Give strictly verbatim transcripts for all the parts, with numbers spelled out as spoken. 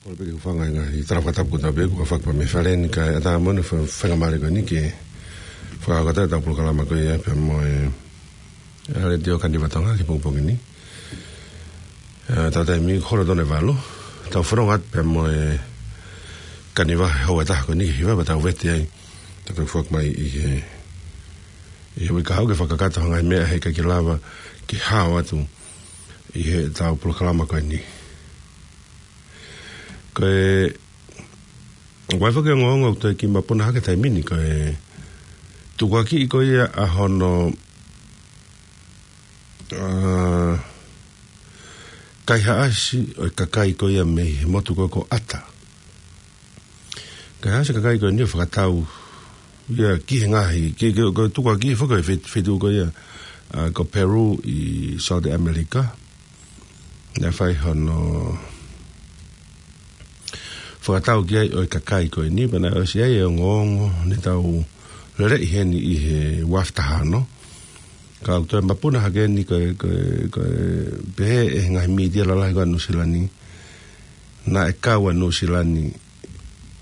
Kole pē ke u hūfanga he ngaahi tala fakatapu kotoa pē kuo fakapā mei fale ni kae ʻatā moʻoni e fa-, faingamālie ko eni ke fakahoko atu ʻetau polokalama ko ia pea mo e, ʻa e Letiō Kaniva Tonga ki he pongipongi ni. ʻA, tau taimi ko e hora tolu e valu. Tau fononga atu pea mo e Kaniva he houa ʻe taha ko eni, hiva pea tau vete ai. Tau toe foki mai ʻi he, ʻi he uike kahaʻu ke fakakakato ha ngaahi meʻa he ʻikai ke lava ke hao atu ʻi heʻetau polokalama ko eni. Ko e, ʻoku ʻi ai foki e ongoongo ʻoku toe kiʻi mapuna hake he taimi ni, ko e tukuakiʻi ko ia ʻa hono, ʻa, kaihaʻasi ʻo e kakai ko ia mei he motu ko, ko ʻAta. Kaihaʻasi e kakai ko eni ʻo fakatau ia ki he ngaahi, ki, ki, ko e tukuakiʻi foki e fe-, feituʻu ko ia, ʻa, ko Peru ʻi South America. Naʻe fai hono fakatau ki ai ʻo e kakai ko eni, pea naʻe ʻosi ʻi ai e ongoongo ne tau lele ʻi heni ʻi he uafu taha ono. Ka ʻoku toe mapuna hake eni ko e, ko e, ko e pehē ʻe he ngaahi mītia lalahi ko ē ʻa Nuʻusila ni, naʻe kau ʻa Nuʻusila ni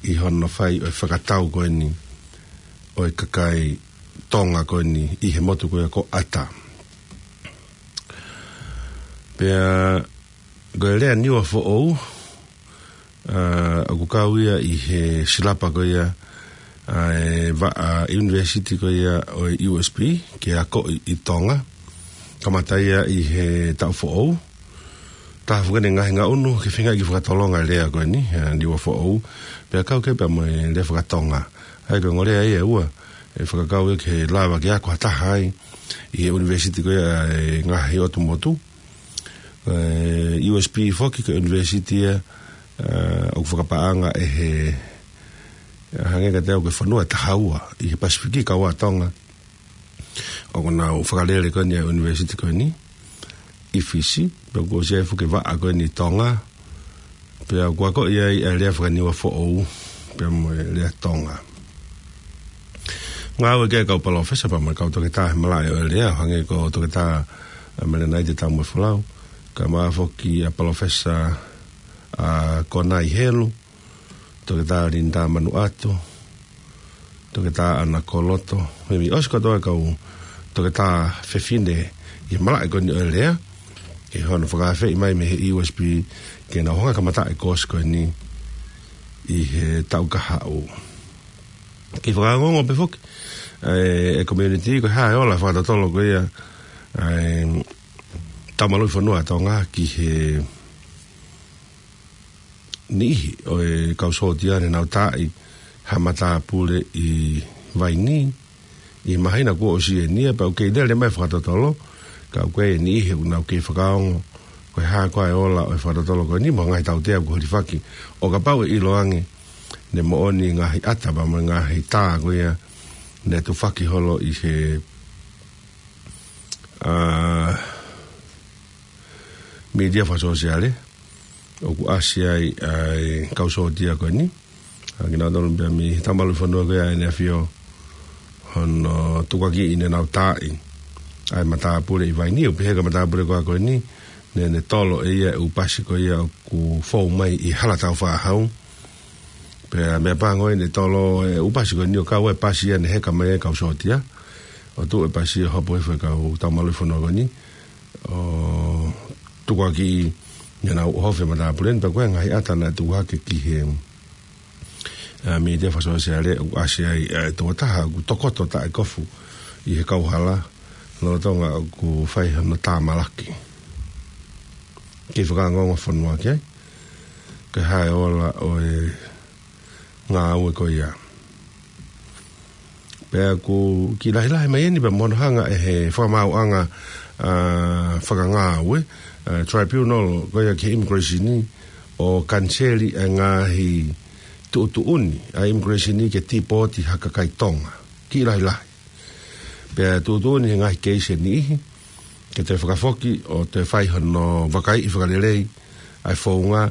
ʻi hono fai ʻo e fakatau ko eni ʻo e kakai Tonga ko eni ʻi he motu ko ia ko ʻAta. Pea ko e lea Niuafoʻou, ʻa, ʻoku kau ia ʻi he silapa ko ia ʻa e vaʻa ʻunivēsiti ko ia ʻo e U S P ke akoʻi ʻi Tonga. Kamata ia ʻi he taʻu foʻou. Taha foki eni e ngaahi ngaʻunu ke feinga ke fakatolonga e lea ko eni, ʻa, Niuafoʻou. Pea kau ki ai pea mo e lea fakatonga. ʻA ia ko e ongo lea ia ʻe ua ʻe fakakau ia ke lava ke ako ha taha ai ʻi he ʻunivēsiti ko ia ʻa e ngaahi ʻotu motu. ʻE, U S P foki ko e ʻunivēsiti ia, ʻa, ʻoku fakapaʻanga ʻe he, ʻa, hangē kiate au ko e fonua ʻe taha ua ʻi he Pasifiki kau ai ʻa Tonga. ʻOku nau fakalele ko eni ʻa e ʻunivēsiti ko eni ʻi Fisi, pea kuo ʻosi ʻi ai foki e vaʻa ko eni ʻi Tonga, pea kuo akoʻi ai ʻa e lea fakaNiuafoʻou, pea mo e lea Tonga. Ngāue ki ai e kau palōfesa pea mo e kau toketā he malaʻe ʻo e lea, hangē ko Toketā, ʻa, Melenaite Taumuefolau, kae ʻumaʻā foki ʻa Palōfesa, ʻa, Konai Helu, Toketā Linda Manuʻato, Toketā ʻAna Koloto, mo e ʻosi kātoa e kau toketā fefine ʻi he malaʻe ko eni ʻo e lea, ʻi hono fakaafeʻi mai mei he U S P ke nau hanga ʻo kamata e kōsi ko eni ʻi he taʻu kahaʻu. Kiʻi fakaongoongo pē foki ʻe, ʻe community, ko e hā e ola fakatotolo ko ia ʻa e taumaluʻi fonua ʻa Tonga ki he niʻihi ʻo e kau sōtia ne nau taaʻi ha matāpule ʻi Vainī ʻi he māhina kuo ʻosi eni ia, pea ʻoku kei lele mai e fakatotolo, ka ʻoku ʻi ai e niʻihi ʻoku nau kei fakaongo ko e hā koā e ola ʻo e fakatotolo ko eni mo e ngaahi tautea kuo hilifaki, ʻo kapau ʻe ʻiloange ne moʻoni e ngaahi ʻata pea mo e ngaahi tā ko ia ne tufaki holo ʻi he, ʻa, mītia fakasōsiale ʻoku ʻasi ai ʻa e kau sōtia ko eni. ʻA, kinautolu pē mei he taumaluʻi fonua ko ia ʻEne ʻAfio hono tukuakiʻi ne nau taaʻi ʻa e matāpule ʻi Vainī, ʻo pehē ko e matāpule ko ē ko eni, ne, ne tolo ʻe ia e ʻū pasi ko ia ʻoku fou mai ʻi Halatau Fāhau. Pea meʻapango ʻene tolo e ʻū pasi ko eni ʻo kau ai e pasi ia ne heka mai ai e kau sōtia, ʻo tuʻu e pasi ʻo hopo hifo e kau taumaluʻi fonua ko eni ʻo tukuakiʻi ne nau ʻohofi e matāpule ni, pea ko e ngaahi ʻata naʻe tuku hake ki he, ʻa, mītia fakasōsiale ʻoku ʻasi ai ʻa e tokotaha ʻoku tokoto taʻekofu ʻi he kauhala lolotonga ʻoku fai hono tāmalaki. Kiʻi fakaongoongo fonua ki ai, ko e hā e ola ʻo e ngāue ko ia. Pea ʻoku kiʻi lahilahi mai eni pea mo hono hanga ʻe he fakamaauʻanga, ʻa, fakangāue, ʻa, tribunal ko ia ki he immigration ʻo kaniseli e ngaahi tuʻutuʻuni ʻa e immigration ke tīpooti ha kakai Tonga. Kiʻi lahilahi. Pea tuʻutuʻuni he ngaahi keisi ʻe niʻihi ke toe fakafoki ʻo toe fai hono vakaiʻi fakalelei ʻa e founga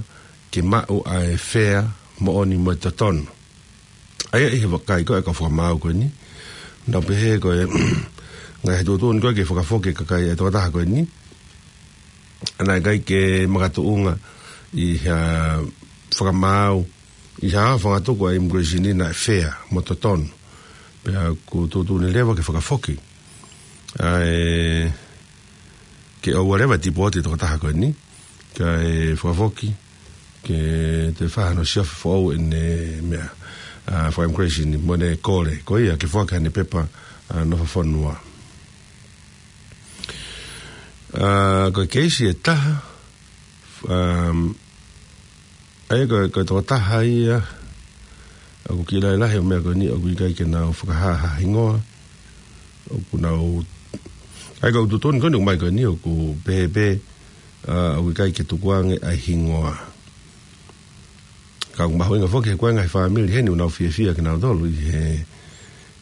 ke maʻu ʻa e fea moʻoni mo e totonu. ʻA ia ʻi he vakai ko ē ʻa e kau fakamaau ko eni, nau pehē ko e ngaahi tuʻutuʻuni ko ē ke fakafoki e kakai ʻa e tokotaha ko eni, ʻa, naʻe ʻikai ke makatuʻunga ʻi ha fakamaau ʻi ha fanga tuku ʻa e immigration naʻe fair mo totonu. Pea ʻoku tuʻutuʻuni leva ke fakafoki ʻa e, ke ʻoua leva tipooti tokotaha ko eni, kae fakafoki ke toe fai hano siofi foʻou ʻene meʻa, ʻa, faka-immigration mo ʻene kole ko ia ke foaki haʻane pepa, ʻa, nofo fonua. ʻA, ko e keisi ʻe taha, um, ʻa ia ko, ko e tokotaha ia ʻoku kiʻi lahilahi ʻo e meʻa ko eni ʻoku ʻikai ke nau fakahā ha hingoa. ʻOku nau, ʻa ia ko e tuʻutuʻuni ko eni ʻoku mai ko eni ʻoku pehē pē, ʻa, ʻoku ʻikai ke tukuange ʻa e hingoa. Ka ʻoku mahuʻinga foki he ko e ngaahi fāmili heni ʻoku nau fiefia kinautolu ʻi he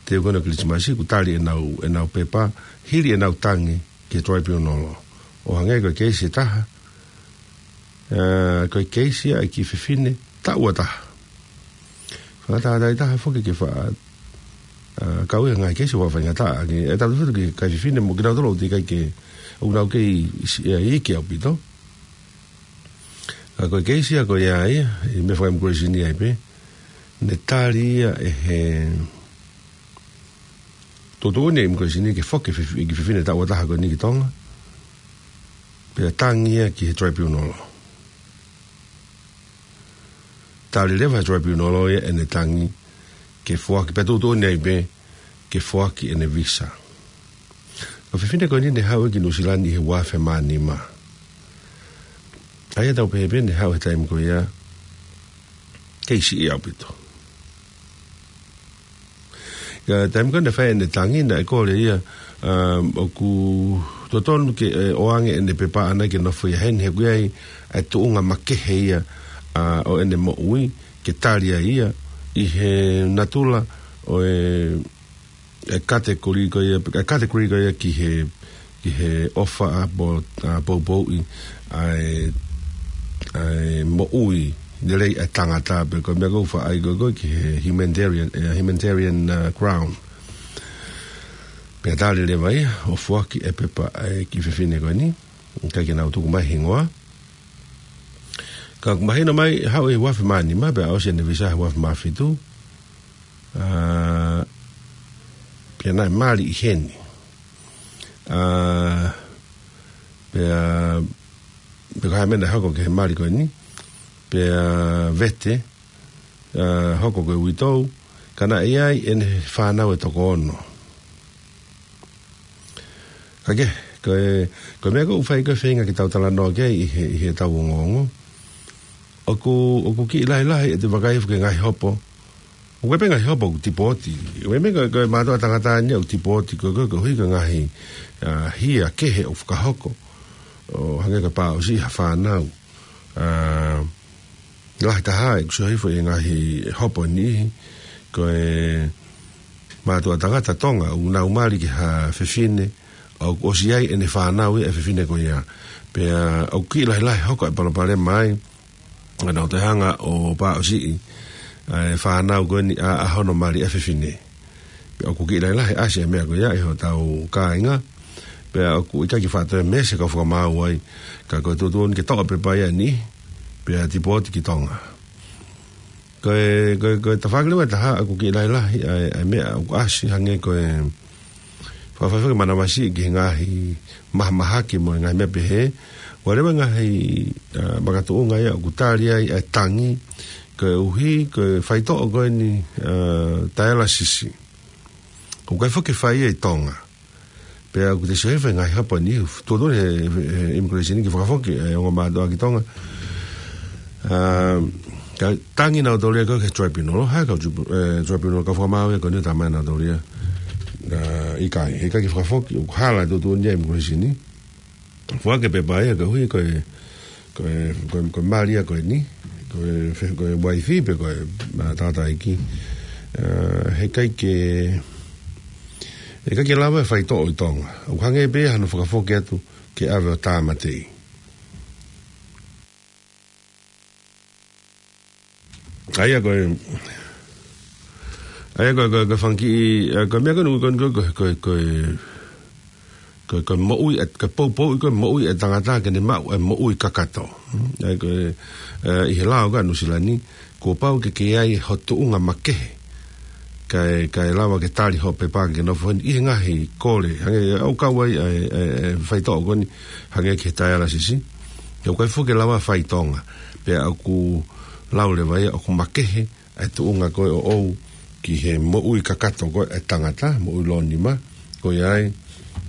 teu ko ena Kilisimasi ʻoku tali ʻenau, ʻenau pepa, hili ʻenau tangi ki he tribunal. ʻO hangē ko e keisi ʻe taha, ʻa, ko e keisi ʻa e kiʻi fefine taʻu ua taha. Fakatātā ʻe taha foki ke fa-, ʻa, kau ia ngaahi keisi ʻoku faingataʻa, ke, ʻe tau tutu ki he kiʻi fefine mo kinautolu ʻoku teʻeki ai ke, ʻoku nau kei si-, ʻa, iiki ʻaupito. ʻA, ko e keisi ia ko ia ia, ʻi he meʻa faka-immigration ai pē, ne tali ia ʻe he tuʻutuʻuni ʻa e immigration ke foki e fefi-, kiʻi fefine taʻu ua taha ko eni ki Tonga, pea tangi ia ki he tribunal. Tali leva he tribunal ia ʻene tangi ke foaki, pea tuʻutuʻuni ai pē ke foaki ʻene visa. Ko e fefine ko eni ne haʻu ki Nuʻu Sila ni ʻi he ua afe mā nima. ʻA ia tau pehē pē ne haʻu he taimi ko ia, kei siʻi ʻaupito. Ka taimi ko ē naʻe fai ʻene tangi naʻe kole ia, ʻa, ʻoku totonu ke, ʻe, ʻoange ʻene pepa ʻana ke nofo ia heni he ʻoku ʻi ai ʻa e tuʻunga makehe ia, ʻa, ʻo ʻene moʻui ke tali ai ia ʻi he natula ʻo e, ʻa e category ko ia, ʻa e category ko ia ki he, ki he ʻofa ʻa po-, ʻa poupouʻi ʻa e, ʻa e moʻui lelei ʻa e tangata pe ko e meʻa ʻoku faʻa ʻai ko ē ki he humanitarian, ʻa e humanitarian, ʻa, ground. Pea tali leva ia ʻo foaki e pepa ʻa e kiʻi fefine ko eni, ʻikai ke nau tuku mai hingoa. Ka ʻoku mahino mai haʻu he ua afe mā nima pea ʻosi ʻene visa he ua afe mā fitu. ʻA, pea naʻe mali ʻi heni. ʻA, pea, pea ko e hā e meʻa naʻe hoko ki he mali ko eni, pea vete, ʻa, hoko ko e uitou, ka naʻe ʻi ai ʻene fānau ʻe toko ono. Ka ke, ko e, ko e meʻa ʻoku fai ko e feinga ke tau talanoa ki ai ʻi he, ʻi heʻetau ongoongo. ʻOku, ʻoku kiʻi lahilahi ʻete vakai hifo ki he ngaahi hopo. ʻOku ʻi ai pē ngaahi hopo ʻoku tipooti. ʻOku ʻi ai pē ko e, ko e mātuʻa tangata ni ʻoku tipooti ko e, ko e, koeʻuhi ko e ngaahi, ʻa, hia kehe ʻoku fakahoko. ʻO hangē ko e pāʻusiʻi ha fānau. ʻA, lahi taha ʻeku sio hifo ʻi he ngaahi hopo ʻe niʻihi. Ko e mātuʻa tangata Tonga ʻoku nau mali ki ha fefine, ʻoku ʻosi ʻi ai ʻene fānau ia ʻa e fefine ko ia. Pea ʻoku kiʻi lahilahi hoko e palopalema ai, ka nau toe hanga ʻo pāʻusiʻi ʻa e fānau ko eni ʻa, ʻa hono mali ʻa e fefine. Pea ʻoku kiʻi lahilahi ʻasi e meʻa ko ia ʻi hotau kāinga. Pea ʻoku ʻikai ke faʻa toe meesi e kau fakamaau ai, ka ko e tuʻutuʻuni ke toʻo e pepa ia ʻe niʻihi, pea tipooti ki Tonga. Ko e, ko e, ko e tafaʻaki leva ʻe taha ʻoku kiʻi lahilahi ʻa e, ʻa e meʻa ʻoku ʻasi hangē ko e fakafaifai ke manavasiʻi ki he ngaahi mahamahaki mo e ngaahi meʻa pehē. ʻOku ʻi ai leva e ngaahi, ʻa, makatuʻunga ia ʻoku tali ai ʻa e tangi, koeʻuhi ko e faitoʻo ko eni, ʻa, dialysis. ʻOku ʻikai foki ke fai ia ʻi Tonga. Pea ʻoku te sio hifo he ngaahi hopo ʻe niʻihi, tuʻutuʻuni he, he immigration ke fakafoki e ongo mātuʻa ki Tonga. ʻA, ka tangi nautolu ia ko e ki he tribunal, ha kau tribu-, ʻe, tribunal kau fakamaau ia ko eni ʻo talamai nautolu ia, ʻa, ʻikai, ʻikai ke fakafoki, ʻoku hala e tuʻutuʻuni ia ʻa e immigration. Foaki e pepa ia koeʻuhi ko e, ko e, ko e, ko e mali ia ko eni, ko e fe-, ko e uaifi pe ko e, ʻa, tangataʻeiki. ʻA, heʻikai ke, heʻikai ke lava e faitoʻo ʻi Tonga. ʻOku hangē pē hano fakafoki atu ke ʻave ʻo tāmateʻi. ʻA ia ko e, ʻa ia ko e, ko e, ko e fanga kiʻi, ʻa, ko e meʻa ko eni, ko e, ko e, ko e, ko e, ko e, ko e moʻui, ʻa e, ko e poupouʻi ko e moʻui ʻa e tangata ke ne maʻu ʻa e moʻui kakato. Hmm? ʻA ia ko e, ʻa, ʻi he lao ko ē ʻa Nuʻusila ni, kuo pau ke kei ʻi ai hoʻo tuʻunga makehe. Kae, kae lava ke tali hoʻo pepa ke nofo heni ʻi he ngaahi kole. Hangē ʻoku kau ai ʻa e, ʻa e, ʻa e faitoʻo ko eni, hangē ki he dialysis. ʻOku ʻikai foki ke lava fai ʻi Tonga. Pea ʻoku lau leva ia ʻoku makehe ʻa e tuʻunga ko ē ʻoʻou ki he moʻui kakato ko ē ʻa e tangata, moʻui lōnima, ko ia ai,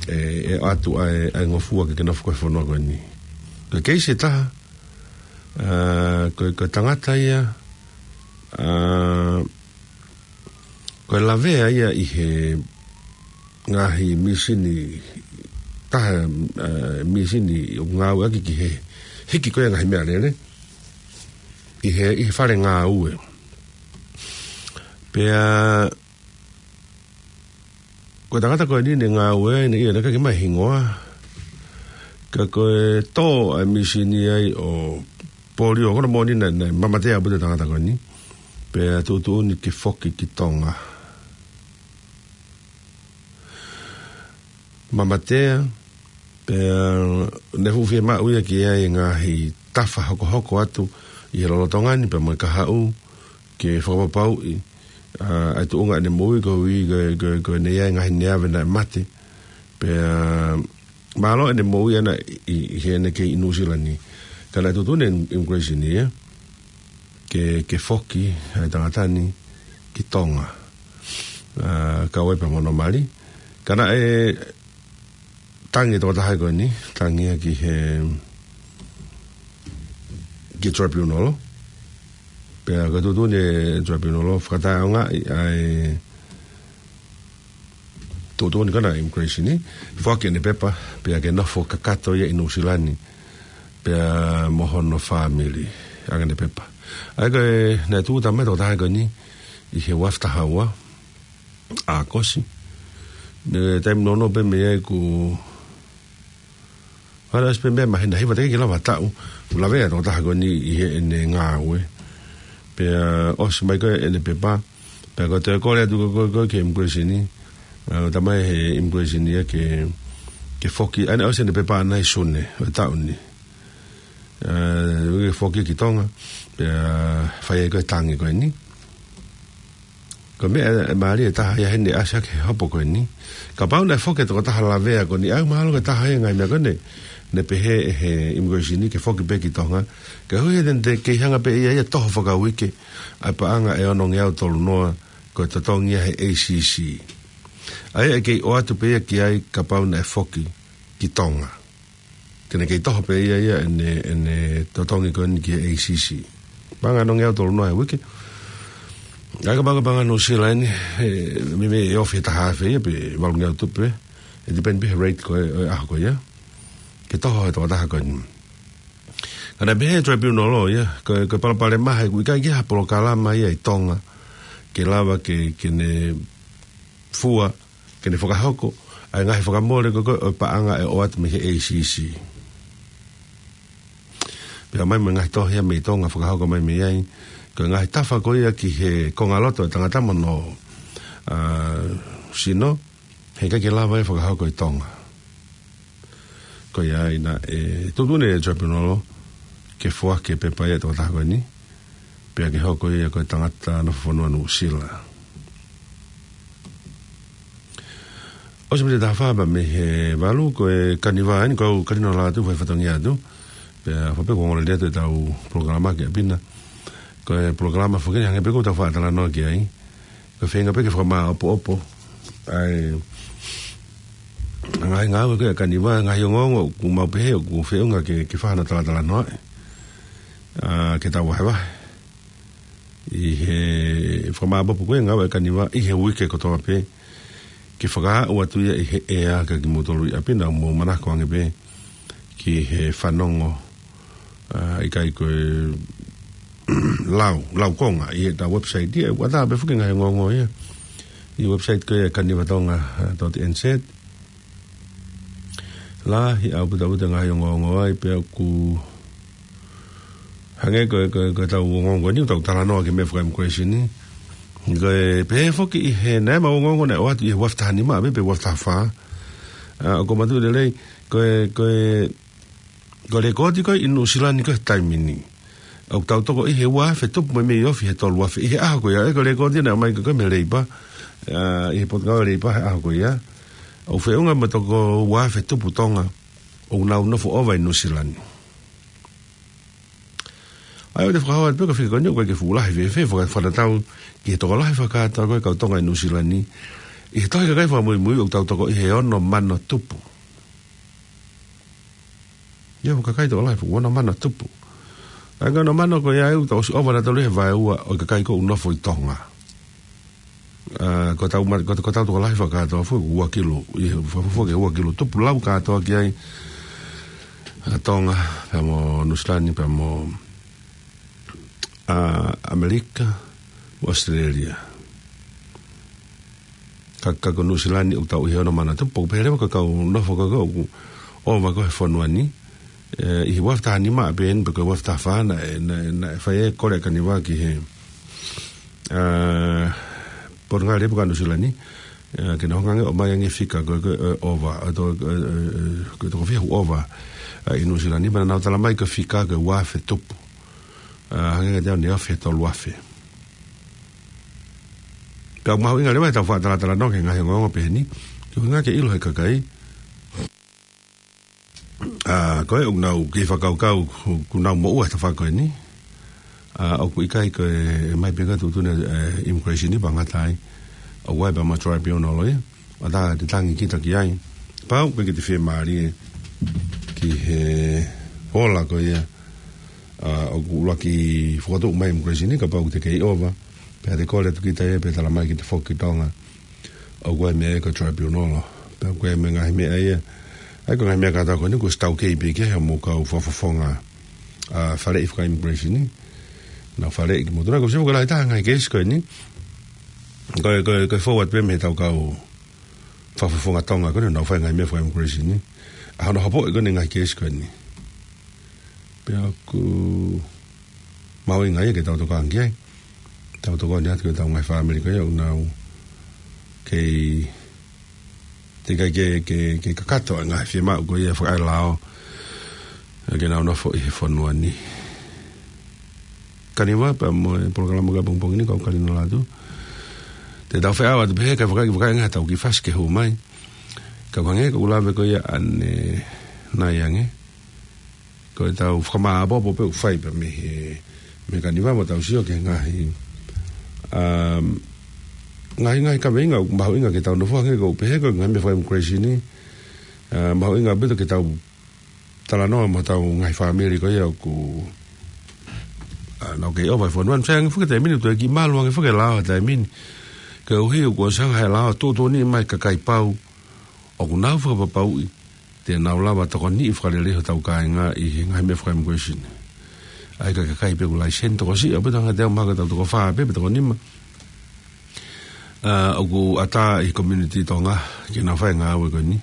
ʻe, ʻe ʻoatu ʻa e, ʻa e ngofua ke ke nofo ko ē he fonua ko eni. Ko e keisi ʻe taha, ʻa, ko e, ko e tangata ia, ʻa, ko e lavea ia ʻi he ngaahi mīsini, taha, ʻa, mīsini ʻoku ngāueʻaki ki he hiki ko ē ʻa e ngaahi meʻalele ʻi he, ʻi he fale ngāue. Pea ko e tangata ko eni naʻe ngāue ai, naʻe ʻikai ke ʻi ai ha hingoa. Ka ko e tō ʻa e mīsini ai ʻo polio, ko hono moʻoni naʻe, naʻe mamatea ʻaupito e tangata ko eni. Pea tuʻutuʻuni ke foki ki Tonga. Mamatea, pea naʻe fuʻu fiemaʻu ia ke ʻi ai e ngaahi tafa hokohoko atu ʻi he lolotonga ni pea mo e kahaʻu ke fakapapauʻi, ʻa, ʻa e tuʻunga ʻene moʻui koeʻuhi ko e, ko e, ko e naʻe ʻi ai e ngaahi neave naʻe mate. Pea mālō ʻene moʻui ʻana ʻi, ʻi heʻene kei ʻi Nuʻusila ni. Ka naʻe tuʻutuʻuni ʻe he immigration ia ke, ke foki ʻa e tangata ni ki Tonga. ʻA, kau ai pea mo hono mali. Ka naʻe tangi e tokotaha ko eni, tangi ia ki he, ki he tribunal. Pea ko e tuʻutuʻuni ʻe he tribunal, fakataʻeʻaongaʻi ʻa e tuʻutuʻuni ko ena ʻa e immigration ni, foaki ʻene pepa, pea ke nofo kakato ia ʻi Nuʻusila ni, pea mo hono fāmili, ʻoange ʻene pepa. ʻA ia ko e, naʻe tūʻuta mai e tokotaha ko eni ʻi he uafu taha ua ʻAokosi. Naʻe taimi nounou pē mei ai kuo, ʻa ia ʻosi pē meimei māhina hiva teʻeki ke lava ha taʻu, kuo lavea e tokotaha ko eni ʻi heʻene ngāue. Pea ʻosi mai ko ē ʻene pepa, pea ko e toe kole atu ko ē, ko ē, ko ē ki he immigration ni, ʻa, ʻoatu mai ʻe he immigration ia ke, ke foki, ʻa ia naʻe ʻosi ʻene pepa ʻana ʻi Sune ʻo e taʻu ni. ʻA, ke foki ki Tonga, pea fai ai ko ē e tangi ko eni. Ko e meʻa ʻe mālie ʻe taha ia heni ʻasi hake he hopo ko eni. Kapau naʻe foki e tokotaha lavea ko eni, ʻa ia mahalo ko e taha ia e ngaahi meʻa ko eni, naʻe pehē ʻe he immigration ni ke foki pē ki Tonga. Koeʻuhi he te ne kei hanga pē ia ia ʻo toho fakauike ʻa e paʻanga ʻe onongeau tolu noa ko e totongi ia he A C C. ʻA ia ʻe kei ʻoatu pē ia ki ai kapau naʻe foki ki Tonga. Te ne kei toho pē ia ia ʻene, ʻene totongi ko eni ki he A C C. Paʻanga ʻe onongeau tolu noa he uike. ʻA ia kapau ko e paʻanga Nuʻusila ni, ʻe, meimei ʻe ofi he taha afe ia pe valungeau tupu pē. ʻE depend pē he rate ko ē ʻo e ʻaho ko ia ke toho e tokotaha ko eni. Ka naʻe pehē ʻe he tribunal ia, ko e, ko e palopalema he ʻoku ʻikai ke ʻi ai ha polokalama ia ʻi Tonga ke lava ke, ke ne fua, ke ne fakahoko ʻa e ngaahi fakamole ko ē, ko ē ʻo e paʻanga ʻe ʻoatu mei he A C C. Pea mai mo e ngaahi tohi ia mei Tonga fakahoko mai mei ai, ko e ngaahi tafa ko ia ki he kongaloto ʻo e tangata mo hono, ʻa, sino, heʻikai ke lava ia ʻo fakahoko ʻi Tonga. Ko ia ai naʻe tuʻutuʻuni ʻe he tribunal ke foaki e pepa ia ʻa e tokotaha ko eni, pea ke hoko ia ko e tangata nofo fonua Nuʻusila. ʻOsi miniti ʻe taha fā pē mei he valu, ko e kaniva eni, ko au Kalino Lātū, fai fatongia atu. Pea fai pē ko e ongoongolelei atu ʻetau polokalama ki ʻapi na. Ko e polokalama foki eni hangē pē ko ʻetau faʻa talanoa ki ai. Ko e feinga pē ke fakamāʻopoʻopo ʻa e ngaahi ngāue ko ē ʻa e kaniva, ngaahi ongoongo ʻoku mau pehē ʻoku feʻunga ke, ke fai hano talatalanoaʻi, ʻa, ke tau vahevahe ʻi he fakamāʻopoʻopo ko ē e ngāue ʻa e kaniva ʻi he uike kotoa pē, ke fakaaʻu atu ia ʻi he ʻea kiate kimoutolu ʻi ʻapi na, mou manako ange pē ki he fanongo, ʻa, ʻikai ko e lau, lau konga ʻi heʻetau website ia, ʻoku ʻatā pē foki e ngaahi ongoongo ia ʻi he website ko ē kanivatonga dot N Z. Lahi ʻaupito ʻaupito e ngaahi ongoongo ai, pea ʻoku hangē ko e, ko e, ko ʻetau ongoongo ni, ʻetau talanoa ki he meʻa faka-immigration ni. Ko e pehē foki ʻi he, naʻe ʻi ai e ongoongo naʻe ʻoatu ʻi he uafu taha nima, pe, pe uafu taha fā. ʻA, ʻoku ou manatuʻi lelei, ko e, ko e, ko e lekooti ko ē ʻi Nuʻusila ni ko e taimi ni, ʻoku tau toko ʻi he ua afe tupu mo e mei ofi he tolu afe ʻi he ʻaho ko ia, ʻa ia ko e lekooti naʻe ʻomai ko ē mei he Leipa, ʻa, ʻi he potungāue Leipa he ʻaho ko ia. ʻOku feʻunga mo e toko ua afe tupu Tonga ʻoku nau nofo ʻova ʻi Nuʻusila ni. ʻA ia ʻoku te fakahā atu pē ko e fika ko eni ʻoku ʻikai ke fuʻu lahi fēfē, faka-, fakatatau ki he tokolahi fakakātoa ko ē kau Tonga ʻi Nuʻusila ni. ʻI he tohi kakai fakamuimui ʻoku tau toko ʻi he ono mano tupu. ʻI he kakai tokolahi fuʻu ono mano tupu. ʻA ia ko e ono mano ko ia ʻoku tau ʻosi ʻova nautolu he vaeua ʻo e kakai ko ē ʻoku nofo ʻi Tonga. ʻA, ko ʻetau ma-, ko, ko ʻetau tokolahi fakakātoa foki ua kilu, ʻi he fakafuofua ki he ua kilu tupu lau kātoa ki ai, ʻa, Tonga, pea mo Nuʻusila ni, pea mo, ʻa, ʻAmelika, mo ʻAositelēlia. Ka, ka ko Nuʻusila ni ʻoku tau ʻi he ono mano tupu, pea leva ko e kau nofo ko ē ʻoku ʻova ko ē he fonua ni, ʻe, ʻi he ua afe taha nima pē eni, pe ko e ua afe taha fā naʻe, naʻe, naʻe fai e kole ʻa Kaniva ki he, ʻa, Potungāue Leipa ʻa Nuʻusila ni, ʻa, ke nau hanga ange ʻo ʻomai ange fika ko ē, ko ē, ʻova, ʻa, to-, ʻe, ʻe, ʻe, ko e toko fiha ʻoku ʻova, ʻa, ʻi Nuʻusila ni, pea naʻa nau talamai ko e fika ko e ua afe tupu. ʻA, hangē kiate au naʻe ofi he tolu afe. Pea ʻoku mahuʻinga leva ʻetau fakatalatalanoa ki he ngaahi ongoongo pehē ni, koeʻuhi ke ʻilo ʻe he kakai, ʻa, ko ē ʻoku nau kei fakakaukau ʻoku nau moʻua he tafaʻaki ko eni. ʻA, ʻoku ʻikai ko e, ʻe ʻomai pē ko e tuʻutuʻuni, ʻe, immigration ni pea ngata ai. ʻOku ʻi ai pē mo e tribunal ia. ʻA, ʻoku te tangi kita ki ai. Pau, ʻoku ʻikai ke te fiemālie ki he ola ko ia. ʻA, ʻoku ʻuluaki fokotuʻu mai immigration ni kapau ʻoku te kei ʻova. Pea te kole atu kita ia, pea talamai ke te foki ki Tonga. ʻOku ʻi ai e meʻa ko e tribunal. Pea ʻoku ʻi ai e ngaahi meʻa ia. ʻA ia ko e ngaahi meʻa kātoa ko eni kuo ʻosi taukei pē ki ai hoʻomou kau fakafofonga, ʻa, faleʻi faka-immigration ni. Naʻa nau faleʻi kimoutolu. Naʻa ku sio ki he lahi taha e ngaahi keisi ko eni. Ko e, ko e, ko e forward pē mei heʻetau kau fakafofonga Tonga ko eni, naʻa nau fai e ngaahi meʻa faka-immigration ni. ʻA hono hopoʻi ko eni e ngaahi keisi ko eni. Pea ʻoku mahuʻinga ia ke tau tokanga ki ai. Tau tokoni atu ki heʻetau ngaahi fāmili ko ia ʻoku nau kei, teʻeki ai ke, ke, ke kakato e ngaahi fiemaʻu ko ia fakaʻae lao. ʻA, ke nau nofo ʻi he fonua ni. Kaniva pea mo e polokalama ko ē ʻapongipongi ni, kau Kalina Latu. Te tau feʻao atu pē he kae fakaʻi, fakaʻi ange ʻetau kiʻi fasi ke hū mai. Ka ʻoku hangē ko ʻeku lave ko ia ʻanenai ange. Ko ʻetau fakamāʻopoʻopo pē ʻoku fai pē mei he, mei Kaniva mo tau sio ki he ngaahi, um, ngaahi, ngaahi kaveinga ʻoku mahuʻinga ke tau nofo ange ko ʻeku pehē ko e ngaahi meʻa faka-immigration ni, uh, mahuʻinga ʻaupito ke tau talanoa mo ʻetau ngaahi fāmili ko ia ʻoku, uh, nau kei ʻova he fonua ni. Feangi fuke taimi ni, toe kiʻi malu ange fuke lao taimi ni. Koeʻuhi ʻoku ʻosi hanga ʻe he lao ʻo tuʻutuʻuni mai kakai pau ʻoku nau fakapapauʻi te nau lava tokoniʻi fakalelei hotau kāinga ʻi he ngaahi meʻa faka-immigration. ʻA ia ko e kakai pē ʻoku laiseni tokosiʻi, ʻaupito hangē ko ʻetau mahalo ko ʻetau toko fā pē, pe toko nima. ʻA, ʻoku ʻatā ʻi he community Tonga ke nau fai e ngāue ko eni.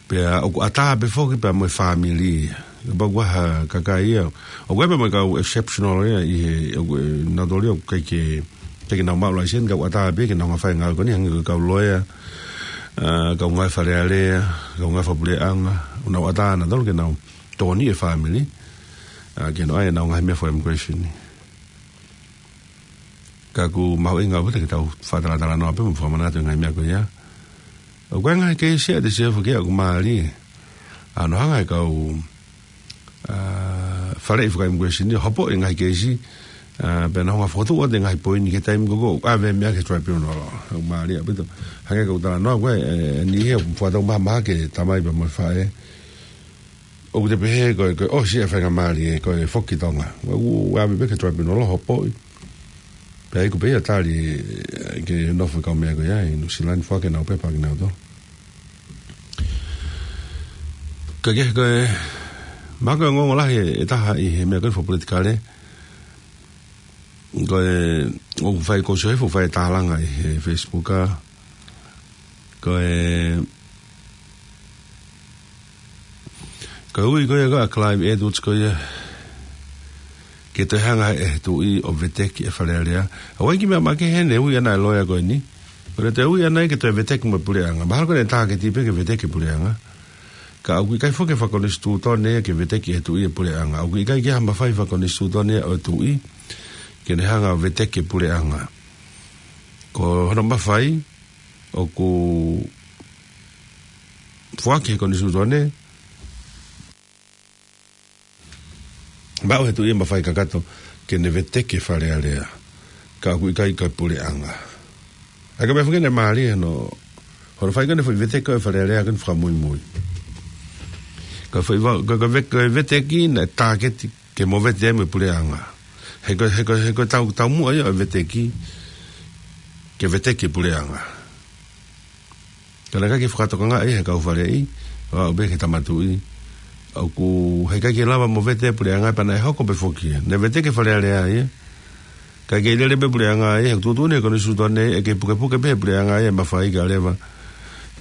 Pea ʻoku ʻatā pē foki pea mo e fāmili. Kapau ʻoku ʻi ai ha kakai ia. ʻOku ʻi ai pē mo e kau exceptional ia ʻi he, ʻoku, ʻe, nautolu ia ʻoku ʻikai ke, ʻikai ke nau maʻu laiseni, ka ʻoku ʻatā pē ke nau hanga ʻo fai e ngāue ko eni, hangē ko e kau loea, ʻa, kau ngāue Fale Alea, kau ngāue fakapuleʻanga, ʻoku nau ʻatā nautolu ke nau tokoniʻi e fāmili, ʻa, ke nau ʻai ʻenau ngaahi meʻa faka-immigration ni. Ka ʻoku mahuʻinga ʻaupito ke tau fakatalatalanoa pē mo fakamanatu e ngaahi meʻa ko ia. ʻOku ʻi ai e ngaahi keisi ia te sio foki ia ʻoku mālie. ʻA, naʻe hanga ʻe he kau, ʻa, faleʻi faka-immigration ni ʻo hopoʻi e ngaahi keisi, ʻa, pea nau hanga ʻo fokotuʻu atu e ngaahi poini ki he taimi ko ē ʻoku ʻave e meʻa ki he tribunal. ʻOku mālie ʻaupito. Hangē ko ʻeku talanoa ko ē, ʻe, ʻe niʻihi ʻoku fakatau mahamahaki e tamai pea mo e faʻē. ʻOku te pehē ko e, ko e ʻosi e faingamālie ko e foki ki Tonga. ʻOku ʻave pē ki he tribunal ʻo hopoʻi. Pea ʻikai pē ia tali, ʻe, ke nofo e kau meʻa ko ia ʻi Nuʻusila ni, foaki ʻenau pepa kinautolu. Ka ke, ko e, mahalo ko e ongoongo lahi ʻe taha ʻi he meʻa ko ē fakapolitikale. Ko e, ʻoku fai ko e sio hifo fai tālanga ʻi he Facebook ʻa. Ko e, ko e ui ko ia ko ē ʻa Clive Edwards ko ia ke toe hanga ʻe he tuʻi ʻo veteki e Fale Alea. ʻOku ʻi ai e kiʻi meʻa makehe ʻene ui ʻana e loea ko eni. Ko ʻene toe ui ʻana ia ke toe veteki mo e puleʻanga. Mahalo ko ʻene tāketi pē ke veteki e puleʻanga. Ka ʻoku ʻikai foki fakakonisitūtone ia ke veteki ʻe he tuʻi e puleʻanga. ʻOku ʻikai ke ʻi ai ha mafai fakakonisitūtone ia ʻo e tuʻi ke ne hanga ʻo veteki e puleʻanga. Ko hono mafai ʻoku foaki ʻe he konisitūtone, maʻu ʻe he tuʻi e mafai kakato ke ne veteki e Fale Alea. Ka ʻoku ʻikai ko e puleʻanga. ʻA ia ko e meʻa foki ʻoku mālie hono, hono fai ko ʻene foʻi veteki ko ē e Fale Alea ko ʻene fakamuimui. Ko e foʻi va-, ko e, ko e ve-, ko e veteki naʻe tāketi ke movete ai mo e puleʻanga. He ko e, he ko e, he ko e tau, taumuʻa ia ʻo e veteki ke veteki e puleʻanga. Ka naʻe ʻikai ke fakatokangaʻi ia ʻe he kau faleʻi, ʻo aʻu pē ki he tama tuʻi. ʻOku, heʻikai ke lava movete e puleʻanga pea naʻe hoko pē foki ia. Naʻe veteki e Fale Alea ia. Kae kei lele pē puleʻanga ia, he ʻoku tuʻutuʻuni ʻe he konisitūtone ia ke pukepuke pē ʻe he puleʻanga ia e mafai kae ʻoua leva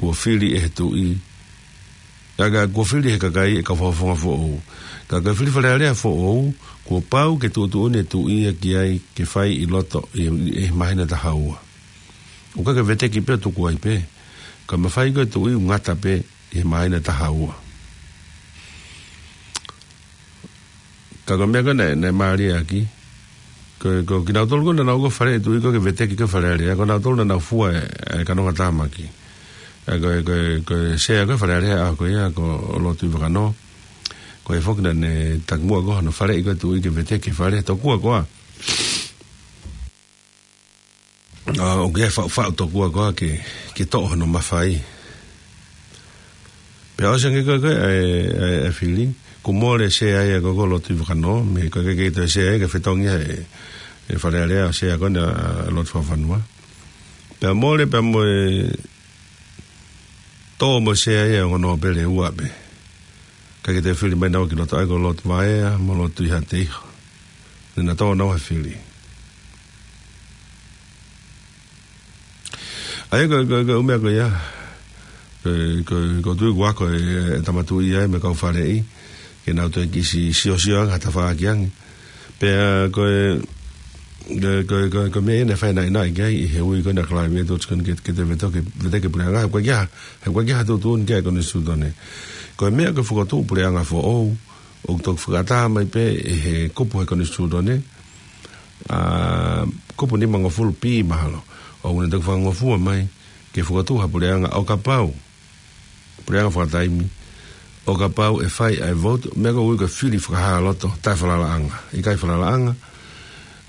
kuo fili ʻe he tuʻi. Ka, ka kuo fili ʻe he kakai e kau fakafofonga foʻou. Ka ko e fili Fale Alea foʻou, kuo pau ke tuʻutuʻuni e tuʻi ia ki ai ke fai ʻi loto ʻi, ʻi he māhina ʻe taha ua. ʻOku ʻikai ke veteki pē ʻo tuku ai pē. Ka mafai ko e tuʻi ʻoku ngata pē ʻi he māhina ʻe taha ua. Ka ko e meʻa ko ē naʻe, naʻe mālie ʻaki. Ko, ko kinautolu ko ē naʻa nau ō ki he fale ʻo e tuʻi ko ē ke veteki ko ē e Fale Alea. Ko nautolu naʻa nau fua e, e kanongatāmaki. ʻA ia ko, ko, ko e sea ko ē e Fale Alea ʻa ko ia ko Lord Tuʻivakanō. Ko ia foki naʻa ne takimuʻa ko ē hono faleʻi ko ē e tuʻi ke veteki e fale. Tokua koā. ʻA, ʻoku ʻi ai e faʻufaʻu tokua koā ke, ke toʻo hono mafai. Pea ʻosi ange ko ē, ko ē, e, e, e fili. Kuo mole e sea ia ko ē ko Lord Tuʻivakanō, mei he ko e kei toe sea ia ke fetongi e, e Fale Alea ʻo sea ko ē ʻa Lord Fakafanua. Pea mole, pea mo e tō mo e sea ia ʻo e ongo nōpele ʻe ua pē. Kae kei toe fili mai naua ki loto ʻa ia ko Lord Vaea mo Lord Tuʻihaʻateiho. Naʻa nau tō naua he fili. ʻA ia ko, ko, ko e ʻū meʻa ko ia. Ko, ko, ko e tuʻi kuo ako e, e tama tuʻi ia mo e kau faleʻi. Ke nau toe kiʻi siosio ange ha tafaʻaki ange. Pea ko e, ko, ko, ko, ko e meʻa ia naʻe fai naʻinaʻi ki ai ʻi he ui ko ē ʻa Clive Edwards ko eni ke, ke toe veteki, veteki e puleʻanga. He ʻoku ʻikai ke ʻi ai ha, he ʻoku ʻikai ke ʻi ai ha tuʻutuʻuni ki ai e konisitūtone. Ko e meʻa ko e fokotuʻu puleʻanga foʻou, ʻoku toki fakatā mai pē ʻe he kupu he konisitūtone. ʻA, kupu nimangofulu B mahalo. ʻOku ne toki fakangofua mai ke fokotuʻu ha puleʻanga ʻo kapau. Puleʻanga fakataimi. ʻO kapau ʻe fai ʻa e vote, meʻa ko ē ʻoku ui ko e fili fakahā loto, taʻefalalaʻanga. ʻIkai falalaʻanga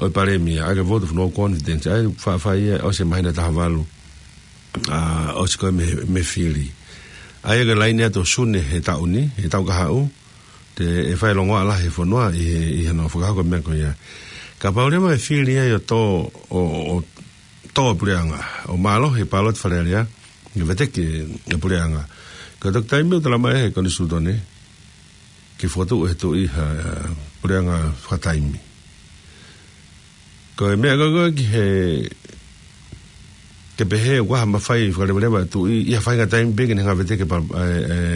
ʻo e palēmia, ʻa ia ko e vote of no confidence, ʻa ia faʻa fai ia ʻosi e māhina ʻe taha valu. ʻA, ʻosi ko ē mei, mei he fili. ʻA ia ko e laine atu ʻo Sune he taʻu ni, he taʻu kahaʻu, te, ʻe fai e longoaʻa lahi he fonua ʻi he, ʻi he nofo fakahoko e meʻa ko ia. Kapau leva ʻe fili ai ʻo tō, ʻo, ʻo, ʻo tō e puleʻanga, ʻo mālohi e pāloti Fale Alea, ke veteki e puleʻanga. Ko e toki taimi ʻoku talamai ʻe he konisitūtone, ke fokotuʻu ʻe he tuʻi ha, ha puleʻanga fakataimi. Ko e meʻa ko ē ko ē ki he, ke pehē ʻoku ʻi ai ha mafai fakaleveleva e tuʻi, ʻi ha faʻahinga taimi pē ke ne hanga ʻo veteki e pa-, e,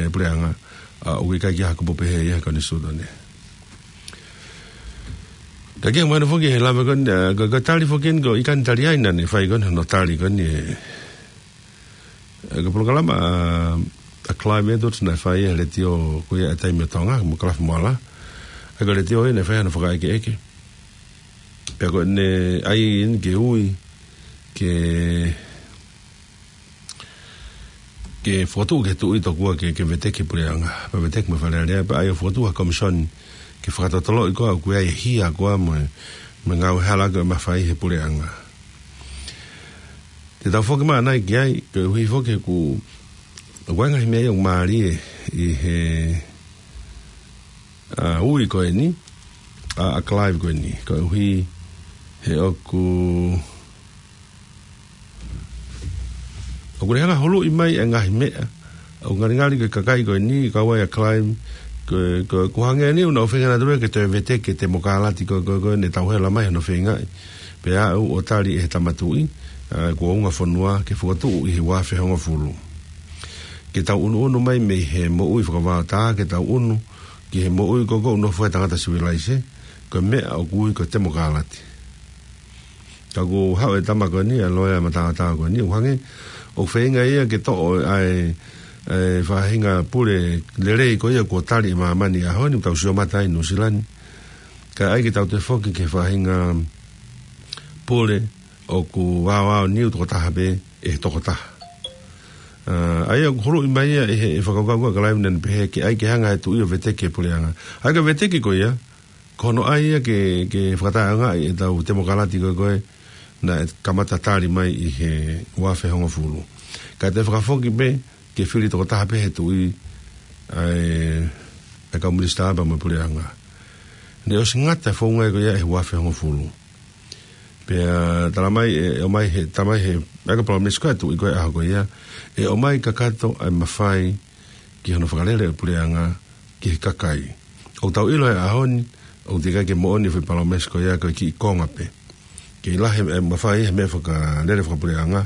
e puleʻanga, ʻa, ʻoku ʻikai ke ʻi ai ha kupu pehē ia he konisitūtone. Ka ke mai foki he lave ko eni, ʻa, ko, ko e tali foki eni ko e ʻikai ke ne tali ai naʻa ne fai ko eni hono tali ko eni e, e, ko e polokalama ʻa, ʻa Clive Edwards naʻe fai he letiō ko ia ʻa e Taimi ʻo Tonga, mo Kalafi Moala. ʻA ia ko e letiō ia naʻe fai hono fakaʻekeʻeke. Pea ko ʻene ʻai eni ke ui, ke, ke fokotuʻu ki he tuʻi tokua ke, ke veteki e puleʻanga, pea veteki mo e Fale Alea, pea ʻai ʻo fokotuʻu ha komisoni, ke fakatotoloʻi koā ʻoku ʻi ai e hia koā mo e, mo e ngāue hala ko ē ʻe mafai he puleʻanga. Te tau foki mai ʻanai ki ai, koeʻuhi foki ʻoku, ʻoku ʻi ai e ngaahi meʻa ia ʻoku mālie ʻi he, ʻa, ui ko eni, ʻa, ʻa Clive ko eni, koeʻuhi he ʻoku, ʻoku ne hanga ʻo huluʻi mai e ngaahi meʻa, ʻoku ngalingali ko e kakai ko eni, kau ai ʻa Clive, ko, ko, ʻoku hangē eni ʻoku nau feinga nautolu ia ke toe veteki e temokalati ko, ko, ko ʻene tauhela mai hono feingaʻi. Pea aʻu ʻo tali ʻe he tama tuʻi, ʻa, kuo unga fonua ke fokotuʻu ʻi he ua afe hongofulu. Ke tau ʻunuʻunu mai mei he moʻui fakavaotā, ke tau ʻunu ki he moʻui ko ē ʻoku nofo ai e tangata sivilaise, ko e meʻa ʻoku ui ko e temokalati. Ka ʻoku haʻu e tama ko eni, ʻa e loea mataotao ko eni, ʻoku hangē ʻoku feinga ia ke toʻo ʻa e, ʻa e faʻahinga pule lelei ko ia kuo tali ʻe māmani he ʻaho ni, tau sio mata ai Nuʻusila ni. Kae ʻai ke tau toe foki ki he faʻahinga pule ʻoku vaovaoniu tokotaha pē ʻe he tokotaha. ʻA, ʻa ia ʻoku huluʻi mai ia ʻe he, ʻe he fakakaukau ko ē ʻa Clive naʻa ne pehē ke ʻai ke hanga ʻe he Tuʻi ʻo veteki e puleʻanga. ʻA ia ko e veteki ko ia, ko hono ʻai ia ke, ke fakataʻeʻaongaʻi ʻetau temokalati ko ē ko ē naʻe kamata tali mai ʻi he ua afe hongofulu. Kae toe fakafoki pē ke fili tokotaha pē he Tuʻi ʻa e, ʻa e kau minisitā pea mo e puleʻanga. Naʻe ʻosi ngata e founga ko ia ʻi he ua afe hongofulu. Pea tala mai ʻe, ʻe ʻomai he, tala mai he, ʻa e palōmesi ko ē ʻa e Tuʻi ko ē he ʻaho ko ia, ʻe ʻomai kakato ʻa e mafai ki hono fakalele ʻo e puleʻanga ki he kakai. ʻOku tau ʻilo he ʻaho ni, ʻoku teʻeki ai ke moʻoni e foʻi palōmesi ko ia, ko e kiʻi konga pē. Kei lahi e mafai he meʻa fakalele fakapuleʻanga,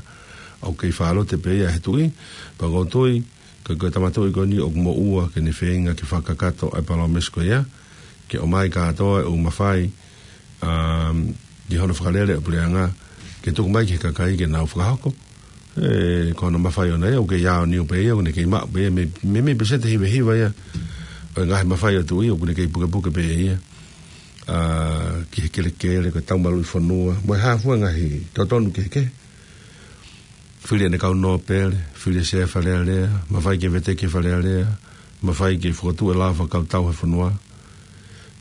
ʻoku kei fālote pē ia he Tuʻi, pea ʻoku ou tui, ko e, ko e tama tuʻi ko eni ʻoku moʻua ke ne feinga ke fakakakato ʻa e palōmesi ko ia, ke ʻomai kātoa e ʻū mafai, um, ki hono fakalele ʻo e puleʻanga, ke tuku mai ki he kakai ke nau fakahoko. ʻE, ko hono mafai ʻoʻona ia, ʻoku kei aoniu pē ia, ʻoku ne kei maʻu pē ia, mei, mei, mei peseti hiva hiva ia ʻo e ngaahi mafai ʻa e Tuʻi, ʻoku ne kei pukepuke pē ia. ʻA, ki he kelekele, ko e taumaluʻi fonua, mo e hā fua e ngaahi totonu kehekehe. Fili ʻene kau nōpele, fili e sea Fale Alea, mafai ke veteki e Fale Alea, mafai ke fokotuʻu e lao fakakautau he fonua.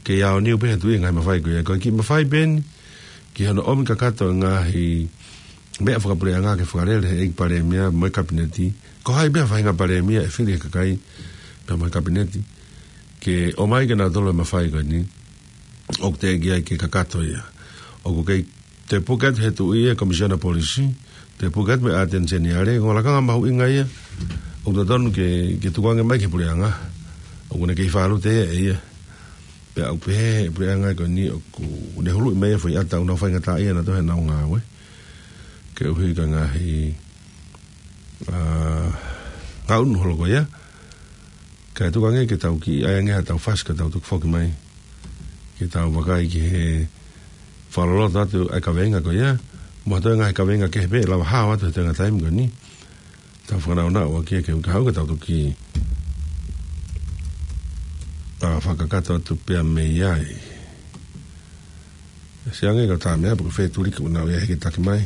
Kei aoniu pē he Tuʻi e ngaahi mafai ko ia, ko e kiʻi mafai pē eni ki hono ʻomi kakato e ngaahi meʻa fakapuleʻanga ke fakalele ʻe he ʻEiki Palēmia mo e Kapineti. Ko hai pē ha faʻahinga Palēmia ʻe fili ʻe he kakai pea mo e Kapineti ke ʻomai ke nau tolo e mafai ko eni, ʻoku teʻeki ai ke kakato ia. ʻOku kei toe puke atu he Tuʻi e Komisiona Polisi, toe puke atu mo e ʻAteni Seniale, ko e lakanga mahuʻinga ia ʻoku totonu ke, ke tukuange mai ki he puleʻanga. ʻOku ne kei fālote ia ʻe ia. Pea ʻoku pehē ʻe he puleʻanga ko eni ʻoku ne huluʻi mai e foʻi ʻata ʻoku nau faingataʻaʻia nautolu heʻenau ngāue. Koeʻuhi ko e ngaahi, ʻa, ngāue ʻoku hoko ia. Kae tukuange ke tau kiʻi ʻai ange haʻatau fasi ka tau toki foki mai ke tau vakai ki he fakaloloto atu ʻa e kaveinga ko ia. Mo ha toe ngaahi kaveinga kehe pē ʻe lava hao atu he tenga taimi ko eni. Tau fakanaunau ʻaki ia ke u ka hau ka tau toki, ʻa, fakakakato atu pea mei ai. Siʻi ange ka tā meʻa pē ko e fetuliki ʻoku nau ʻi ai he ke taki mai.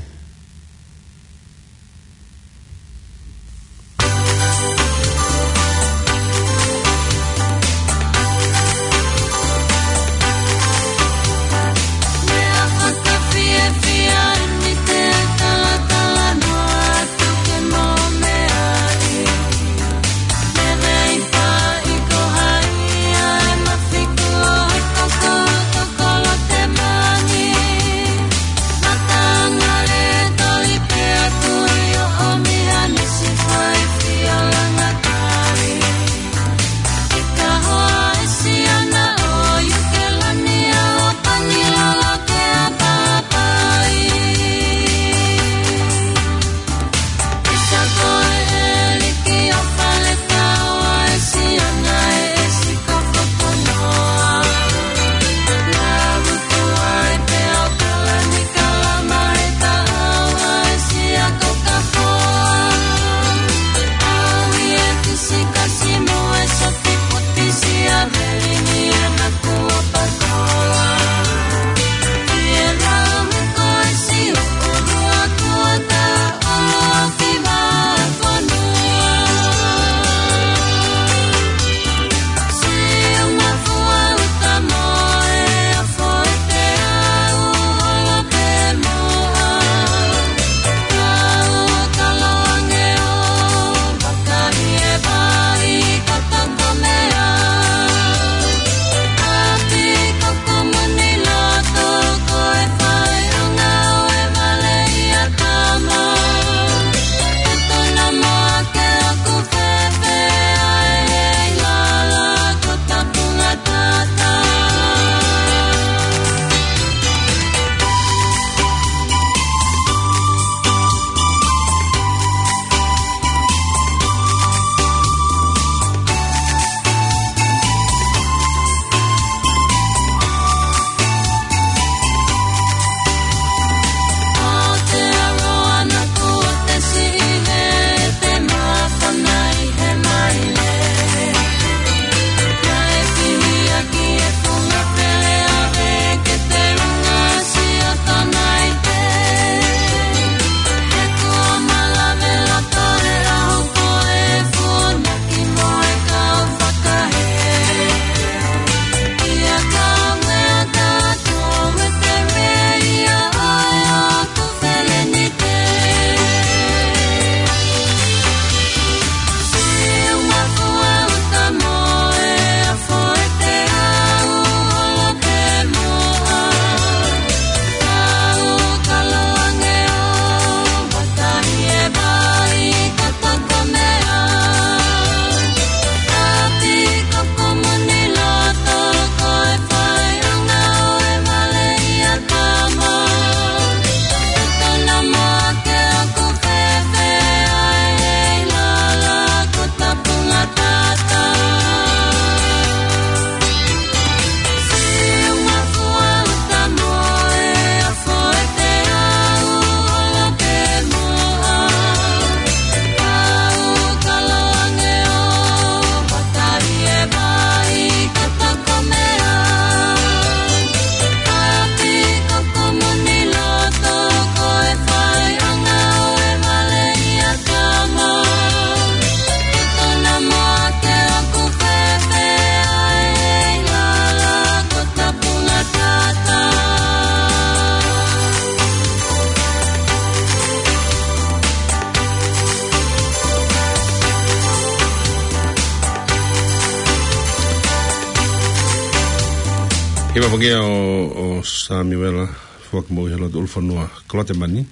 Hiva foki ia ʻo, ʻo Samiuela Fuakimoʻui he lotu ʻulufonua Kolotemani.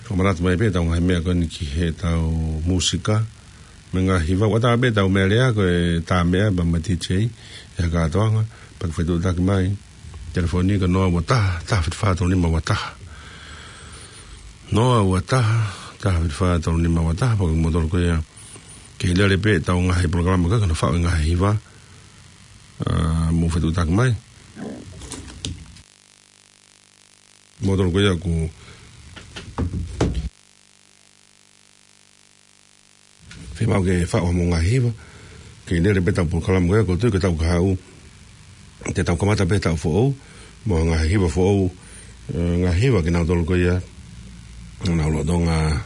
Fakamanatu mai pē ʻetau ngaahi meʻa ko eni ki heʻetau mūsika. Mei he ngaahi hiva ʻoku ʻatā pē ʻetau meʻalea ko e tā meʻa pea mo e D J ʻi he kātoanga. Pea ke fetuʻutaki mai. Telefoni ko e noa ua taha, taha fitu fā tolu nima ua taha. Noa ua taha, taha fitu fā tolu nima ua taha, pea ko kimoutolu ko ia. Kei lele pē ʻetau ngaahi polokalama ko ē, ko hono faʻu e ngaahi hiva. ʻA, mou fetuʻutaki mai. Moutolu ko ia ʻoku fiemaʻu ke faʻu hoʻomou ngaahi hiva. Kei lele pē ʻetau polokalama ko ia, ʻoku ou tui ko ʻetau kahaʻu. Te tau kamata pē taʻu foʻou. Mo e ngaahi hiva foʻou. ʻE, ngaahi hiva kinautolu ko ia. Naʻa nau lolotonga,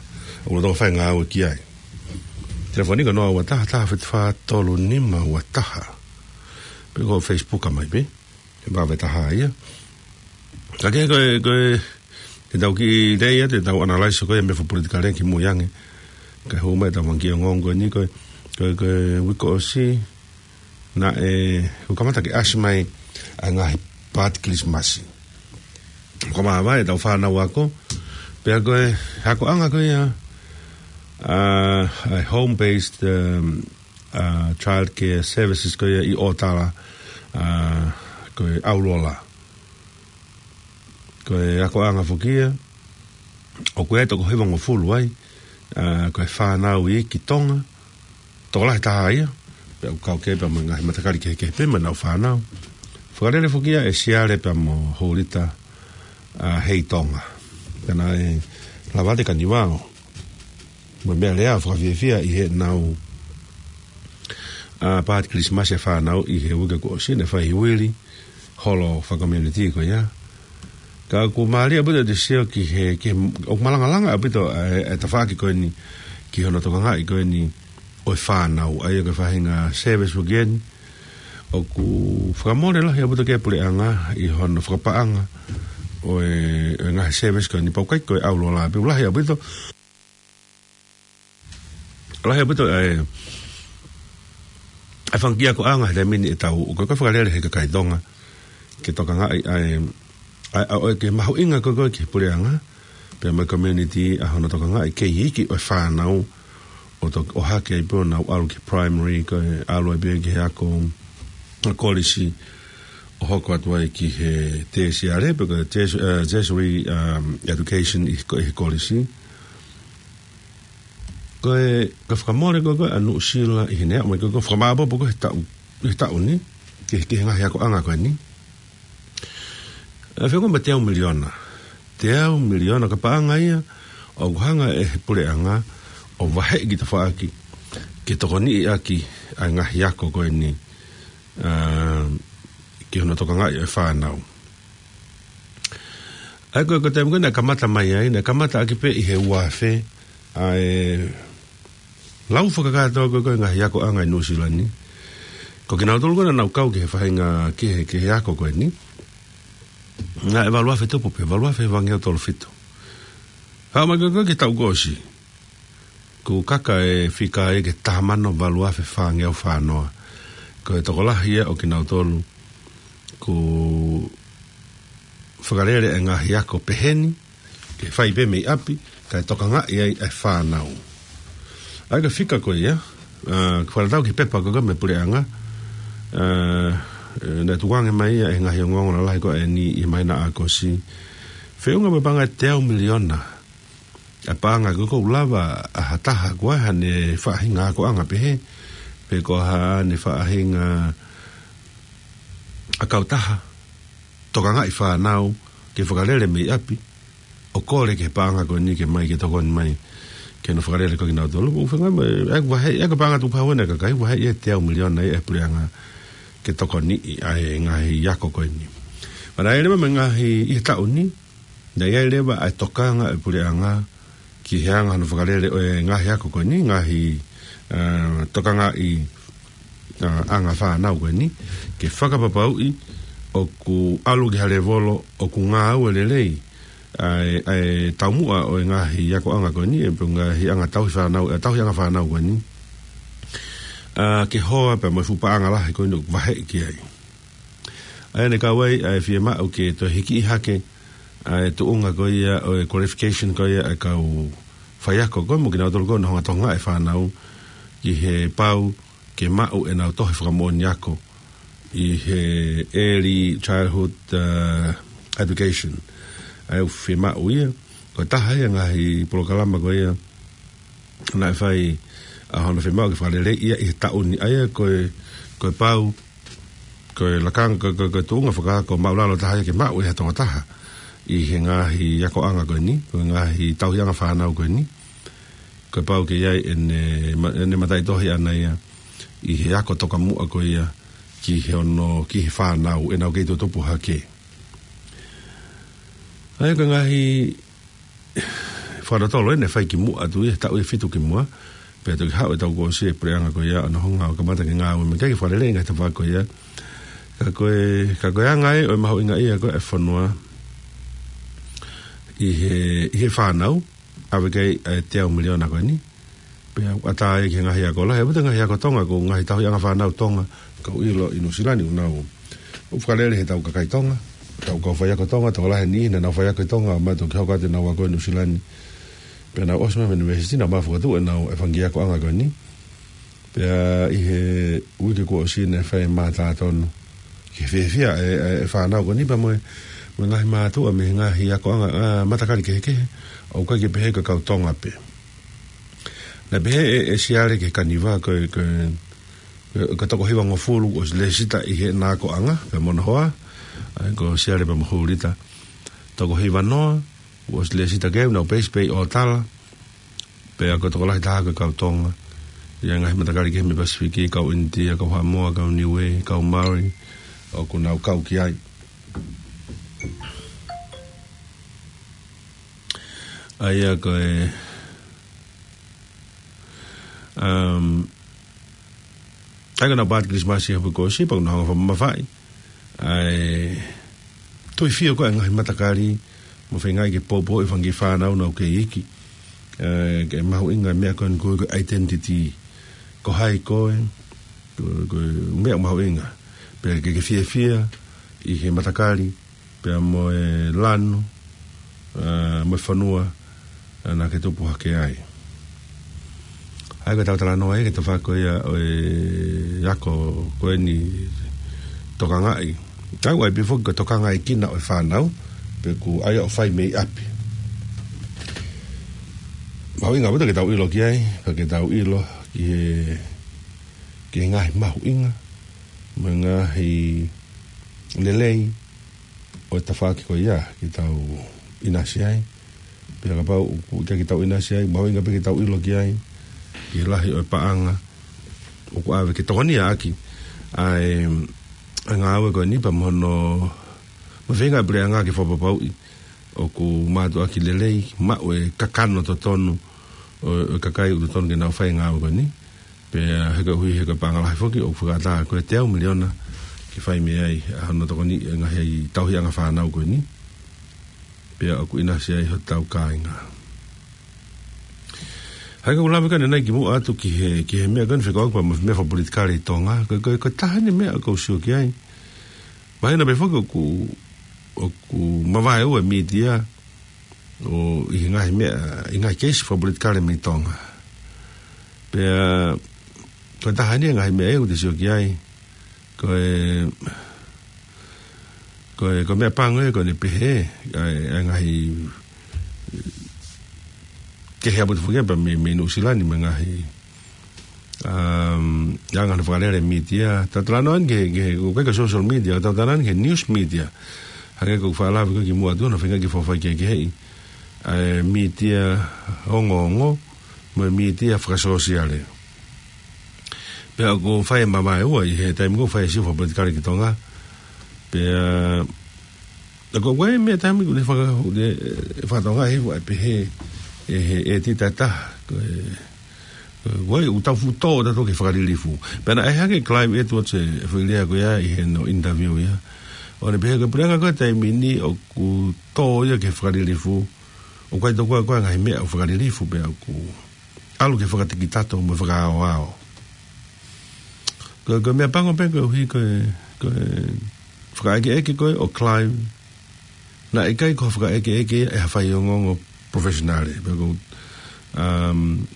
lolotonga fai e ngāue ki ai. Telefoni ko e noa ua taha, taha fitu fā tolu nima ua taha. Pe ko e Facebook mai pē. He vave taha ia. Ka ke ko e, ko e, te tau kiʻi lea ia, te tau analyze ko ia mei he fakapolitikale kimuʻa ange. Kae hū mai ʻetau fanga kiʻi ongoongo ko eni ko e, ko e, ko e uike ʻosi, naʻe, kuo kamata ke ʻasi mai ʻa e ngaahi paati Kilisimasi. Ko e māvae ʻetau fānau ako, pea ko e, akoʻanga ko ia, ʻa, ʻa e home-based, um, ʻa, child care services ko ia ʻi ʻŌtala, ʻa, ko e ʻAulola. Ko e akoʻanga foki ia, ʻoku ʻi ai e toko hivangofulu ai, ʻa, ko e fānau iiki Tonga, tokolahi taha ia, pea ʻoku kau ki ai pea mo e ngaahi matakali kehekehe pē mo ʻenau fānau. Fakalele foki ia ʻe Siale pea mo Hōlita, ʻa, Heitonga. Pea naʻe lava atu e kanivao mo e meʻalea fakafiefia ʻi heʻenau, ʻa, paati Kilisimasi ʻa e fānau ʻi he uike kuo ʻosi, naʻe fai ʻi Wili, holo fakacommunity ko ia. Ka ʻoku mālie ʻaupito ʻete sio ki he, ki he, ʻoku malangalanga ʻaupito ʻa e, ʻa e tafaʻaki ko eni ki hono tokangaʻi ko eni ʻo e fānau, ʻa ia ko e faʻahinga service foki eni. ʻOku fakamole lahi ʻaupito ki he puleʻanga ʻi hono fakapaʻanga ʻo e, ʻo e ngaahi service ko eni, pau ʻikai ko e ʻAulola pē, lahi ʻaupito. Lahi ʻaupito ʻa e, ʻa e fanga kiʻi akoʻanga he taimi ni ʻe tau, ko e, ko e fakalele he kakai Tonga, ke tokangaʻi ʻa e, ʻa e, ʻa e, ʻo e ke mahuʻinga ko ē ko ē ki he puleʻanga, pea mo e community ʻa hono tokangaʻi kei iiki ʻo e fānau, ʻo to-, ʻo hake ai pē ʻo nau ʻalu ki he primary, ko e ʻalu ai pē ki he ako, kolisi, ʻo hoko atu ai ki he tēsiale, pe ko e tēsi-, ʻa, tertiary, um, education ʻi ko-, ʻi he kolisi. Ko e, ko e fakamole ko ē ko ē ʻa Nuʻusila ʻi heʻene aʻu mai ko ē ko e fakamāʻopoʻopo ko ē he taʻu, he taʻu ni, ki he, ki he ngaahi akoʻanga ko eni. ʻE feʻunga mo e teau miliona. Teau miliona ko e paʻanga ia, ʻoku hanga ʻe he puleʻanga, ʻo vaheʻi ki tafaʻaki, ke tokoniʻi ʻaki ʻa e ngaahi ako ko eni, ʻa, ki hono tokangaʻi ʻo e fānau. ʻA ia ko e, ko e taimi ko ē naʻe kamata mai ai, naʻe kamata ʻaki pē ʻi he ua afe, ʻa e lau fakakātoa ko ē ko e ngaahi akoʻanga ʻi Nuʻusila ni. Ko kinautolu ko ē naʻa nau kau ki he faʻahinga ki he, ki he ako ko eni. Naʻe valu afe tupu pē, valu afe hivangeau tolu fitu. Haʻu mai ko ē ko ē ki he taʻu kuo ʻosi. Kuo kaka e fika ia ki he taha mano valu afe fāngeau fā noa. Ko e tokolahi ia ʻo kinautolu kuo fakalele e ngaahi ako peheni, ke fai pē mei ʻapi, kae tokangaʻi ai e fānau. ʻA ia ko e fika ko ia, ʻa, ko e fakatatau ki he pepa ko ē ko ē mei he puleʻanga, ʻa, ʻe, naʻe tukuange mai ia ʻe he ngaahi ongoongo lalahi ko eni ʻi he māhina ʻAokosi. Feʻunga mo e paʻanga ʻe teau miliona. ʻA e paʻanga ko ē ʻoku lava ʻa ha taha ko ē haʻane faʻahinga akoʻanga pehē, pe ko haʻane faʻahinga ʻa e kautaha tokangaʻi fānau ke fakalele mei ʻapi, ʻo kole ki he paʻanga ko eni ke mai ke tokoni mai, ke nau fakalele ko ē kinautolu. ʻOku fenga mai, ʻa e vahe, ʻa e paʻanga tupu hau ʻa e kakai, vahe ia ʻe teau miliona ia ʻe he puleʻanga ke tokoniʻi ʻa e ngaahi ako ko eni. Pea naʻe leva mo e ngaahi ʻi he taʻu ni, naʻe ʻi ai leva ʻa e tokanga ʻa e puleʻanga ki he anga hono fakalele ʻo e ngaahi ako ko eni, ngaahi, ʻa, tokangaʻi, ʻa, anga fānau ko eni, ke fakapapauʻi ʻoku ʻalu ki ha lēvolo ʻoku ngāue lelei ʻa e, ʻa e taumuʻa ʻo e ngaahi akoʻanga ko eni, ʻe pe ngaahi anga tauhi fānau, ʻa e tauhi anga fānau ko eni. ʻA, ke hoa pea mo e fuʻu paʻanga lahi ko eni ʻoku vaheʻi ki ai. ʻA ia naʻe kau ai ʻa e fiemaʻu ke toe hiki hake ʻa e tuʻunga ko ia ʻo e qualification ko ia ʻa e kau faiako ko ē mo kinautolu ko ē ʻoku nau hanga ʻo tokangaʻi e fānau ki he pau ke maʻu ʻenau tohi fakamoʻoni ako ʻi he early childhood, uh, education. ʻA ia ʻoku fiemaʻu ia, ko e taha ia e ngaahi polokalama ko ia naʻe fai ʻa hono fiemaʻu ke fakaleleiʻi ia ʻi he taʻu ni. ʻA ia ko e, ko e pau, ko e lakanga, ko e, ko e, ko e tuʻunga fakaako māʻulalo taha ia ke maʻu ʻe ha tokotaha ʻi he ngaahi akoʻanga ko eni, ko e ngaahi tauhiʻanga fānau ko eni. Ko e pau ke ʻi ai ʻene ma-, ʻene mataʻitohi ʻaʻana ia ʻi he ako tokamuʻa ko ia ki he ono, ki he fānau ʻenau kei tutupu hake. ʻA ia ko e ngaahi fakalotolo eni naʻe fai kimuʻa atu ia he taʻu ʻe fitu kimuʻa, pea toki haʻu ʻetau kuo ʻosi e puleʻanga ko ia ʻo nau hanga ʻo kamata ke ngāue mai ke fakaleleiʻi e ngaahi tafaʻaki ko ia. Ka ko e, ka ko e anga ia ʻo e mahuʻinga ia ko ē e fonua ʻi he, ʻi he fānau, ʻave ki ai ʻa e teau miliona ko eni. Pea ʻoku ʻatā ia ki he ngaahi ako lahi, ʻa ia ʻoku ʻi ai e ngaahi ako Tonga, ko e ngaahi tauhiʻanga fānau Tonga, kau ʻilo ʻi Nuʻusila ni ʻoku nau, ʻoku fakalele he tau kakai Tonga, tau kau faiako Tonga, tokolahi e niʻihi naʻa nau faiako ʻi Tonga, ʻo maʻu toki hoko atu ʻenau ako ʻi Nuʻusila ni. Pea nau ʻosi mai mei he university, nau maʻu fokotuʻu ʻenau e fanga kiʻi akoʻanga ko eni. Pea ʻi he uike kuo ʻosi naʻe fai e mātā tonu ki he fiefia e, e, e fānau ko eni pea mo e, mo e ngaahi mātuʻa mei he ngaahi akoʻanga, ʻa, matakali kehekehe, ʻoku ʻikai ke pehē ko e kau Tonga pē. Naʻe pehē ʻe, ʻe Siale ki he Kaniva ko e, ko e, ko e toko hivangofulu ʻosi lēsisita ʻi heʻena akoʻanga, pea mo hono hoa, ʻa ia ko Siale pea mo Hulita. Toko hivanoa, ʻosi lēsisita ki ai, nau peisi pē ʻi ʻOtala, pea ko e tokolahi taha ko e kau Tonga. ʻI he ngaahi matakali kehe mei Pasifiki, kau ʻInitia, kau Haʻamoa, kau Niuē, kau Maori, ʻoku nau kau ki ai. ʻA ia ko e, um, ʻa ia ko ʻenau paati Kilisimasi he ʻaho kuo ʻosi, pea ʻoku nau hanga ʻo fakamamafaʻi ʻa e tuifio ko ē e ngaahi matakali, mo feingaʻi ke poupouʻi e fanga kiʻi fānau naʻa nau kei iiki. ʻE, ke mahuʻinga e meʻa ko eni ko e, ko e identity. Ko hai koe, ko, ko e meʻa mahuʻinga. Pea ke, ke fiefia ʻi he matakali, pea mo e lanu, ʻa, mo e fonua, ʻa, naʻa ke tupu hake ai. ʻA ia ko ʻetau talanoa ia ki he tafaʻaki ko ia ʻo e ako ko eni tokangaʻi. Tau ʻai pē foki ko e tokangaʻi kina ʻo e fānau, pe ʻoku ʻai ʻo fai mei ʻapi. Mahuʻinga ʻaupito ke tau ʻilo ki ai, pea ke tau ʻilo ki he, ki he ngaahi mahuʻinga, mo e ngaahi lelei, ʻo e tafaʻaki ko ia ke tau ʻinasi ai. Pea kapau ʻoku ʻikai ke tau ʻinasi ai, mahuʻinga pē ke tau ʻilo ki ai, ki he lahi ʻo e paʻanga ʻoku ʻave ke tokoniʻaki ʻa e, ʻa e ngāue ko eni pea mo hono, mo e feinga ʻa e puleʻanga ke fakapapauʻi ʻoku mātuʻaki lelei, maʻu e kakano totonu ʻo, ʻo e kakai ʻoku totonu ke nau fai e ngāue ko eni. Pea he koeʻuhi he ko e paʻanga lahi foki ʻoku fakaʻatā ko e teau miliona ke fai mei ai ʻa hono tokoniʻi e ngaahi tauhiʻanga fānau ko eni. Pea ʻoku ʻinasi ai hotau kāinga. Hangē ko ʻeku lave ko eni kimuʻa atu ki he, ki he meʻa ko eni fekauʻaki pea mo e meʻa fakapolitikale ʻi Tonga. Ko, ko, ko e taha eni e meʻa ʻoku ou sio ki ai. Mahino pē foki ʻoku, ʻoku mavaeua e mītia, ʻo ʻi he ngaahi meʻa, ʻi he ngaahi keisi fakapolitikale mei Tonga. Pea, ko e taha eni e ngaahi meʻa ʻoku te sio ki ai, ko e, ko e, ko e meʻapango ia ko ʻene pehē, ʻa e, ʻa e ngaahi, kehe ʻaupito foki ia pea mei, mei Nuʻusila ni mo e ngaahi, um, ʻa e anga hono fakalele e mītia. Tau talanoa eni ki he, ki he, ʻoku ʻikai ko e social media, tau talanoa eni ki he news media. Hangē ko ʻeku fakalave ko ē kimuʻa atu, hono feinga ke fakafaikehekeheʻi ʻa e mītia ongoongo, mo e mītia fakasōsiale. Pea ʻoku fai e mavaeua ʻi he taimi ʻoku fai e sio fakapolitikale ki Tonga. Pea, ʻa ko e meʻa taimi ʻoku ne faka-, ʻoku ne, ʻe, fakatonga he ua e pehē, ʻe he, ʻe tita taha, ko e, ko e, ʻoku tau fuʻu tō tautolu ki he fakalilifu. Pea naʻe hake Clive Edwards e, e foʻi lea ko ia ʻi heʻene interview ia. ʻO ne pehē ko e puleʻanga ko e taimi ni ʻoku tō ia ki he fakalilifu. ʻOku ʻikai tokua ko e ngaahi meʻa ʻoku fakalilifu pea ʻoku ʻalu ki he fakatikitato mo e fakaaoao. Ko, ko e meʻapango pē koeʻuhi ko e, ko e fakaʻekeʻeke ko ē ʻo Clive, naʻe ʻikai ko ha fakaʻekeʻeke ia ʻe ha faiongoongo professional. Pea ko, um,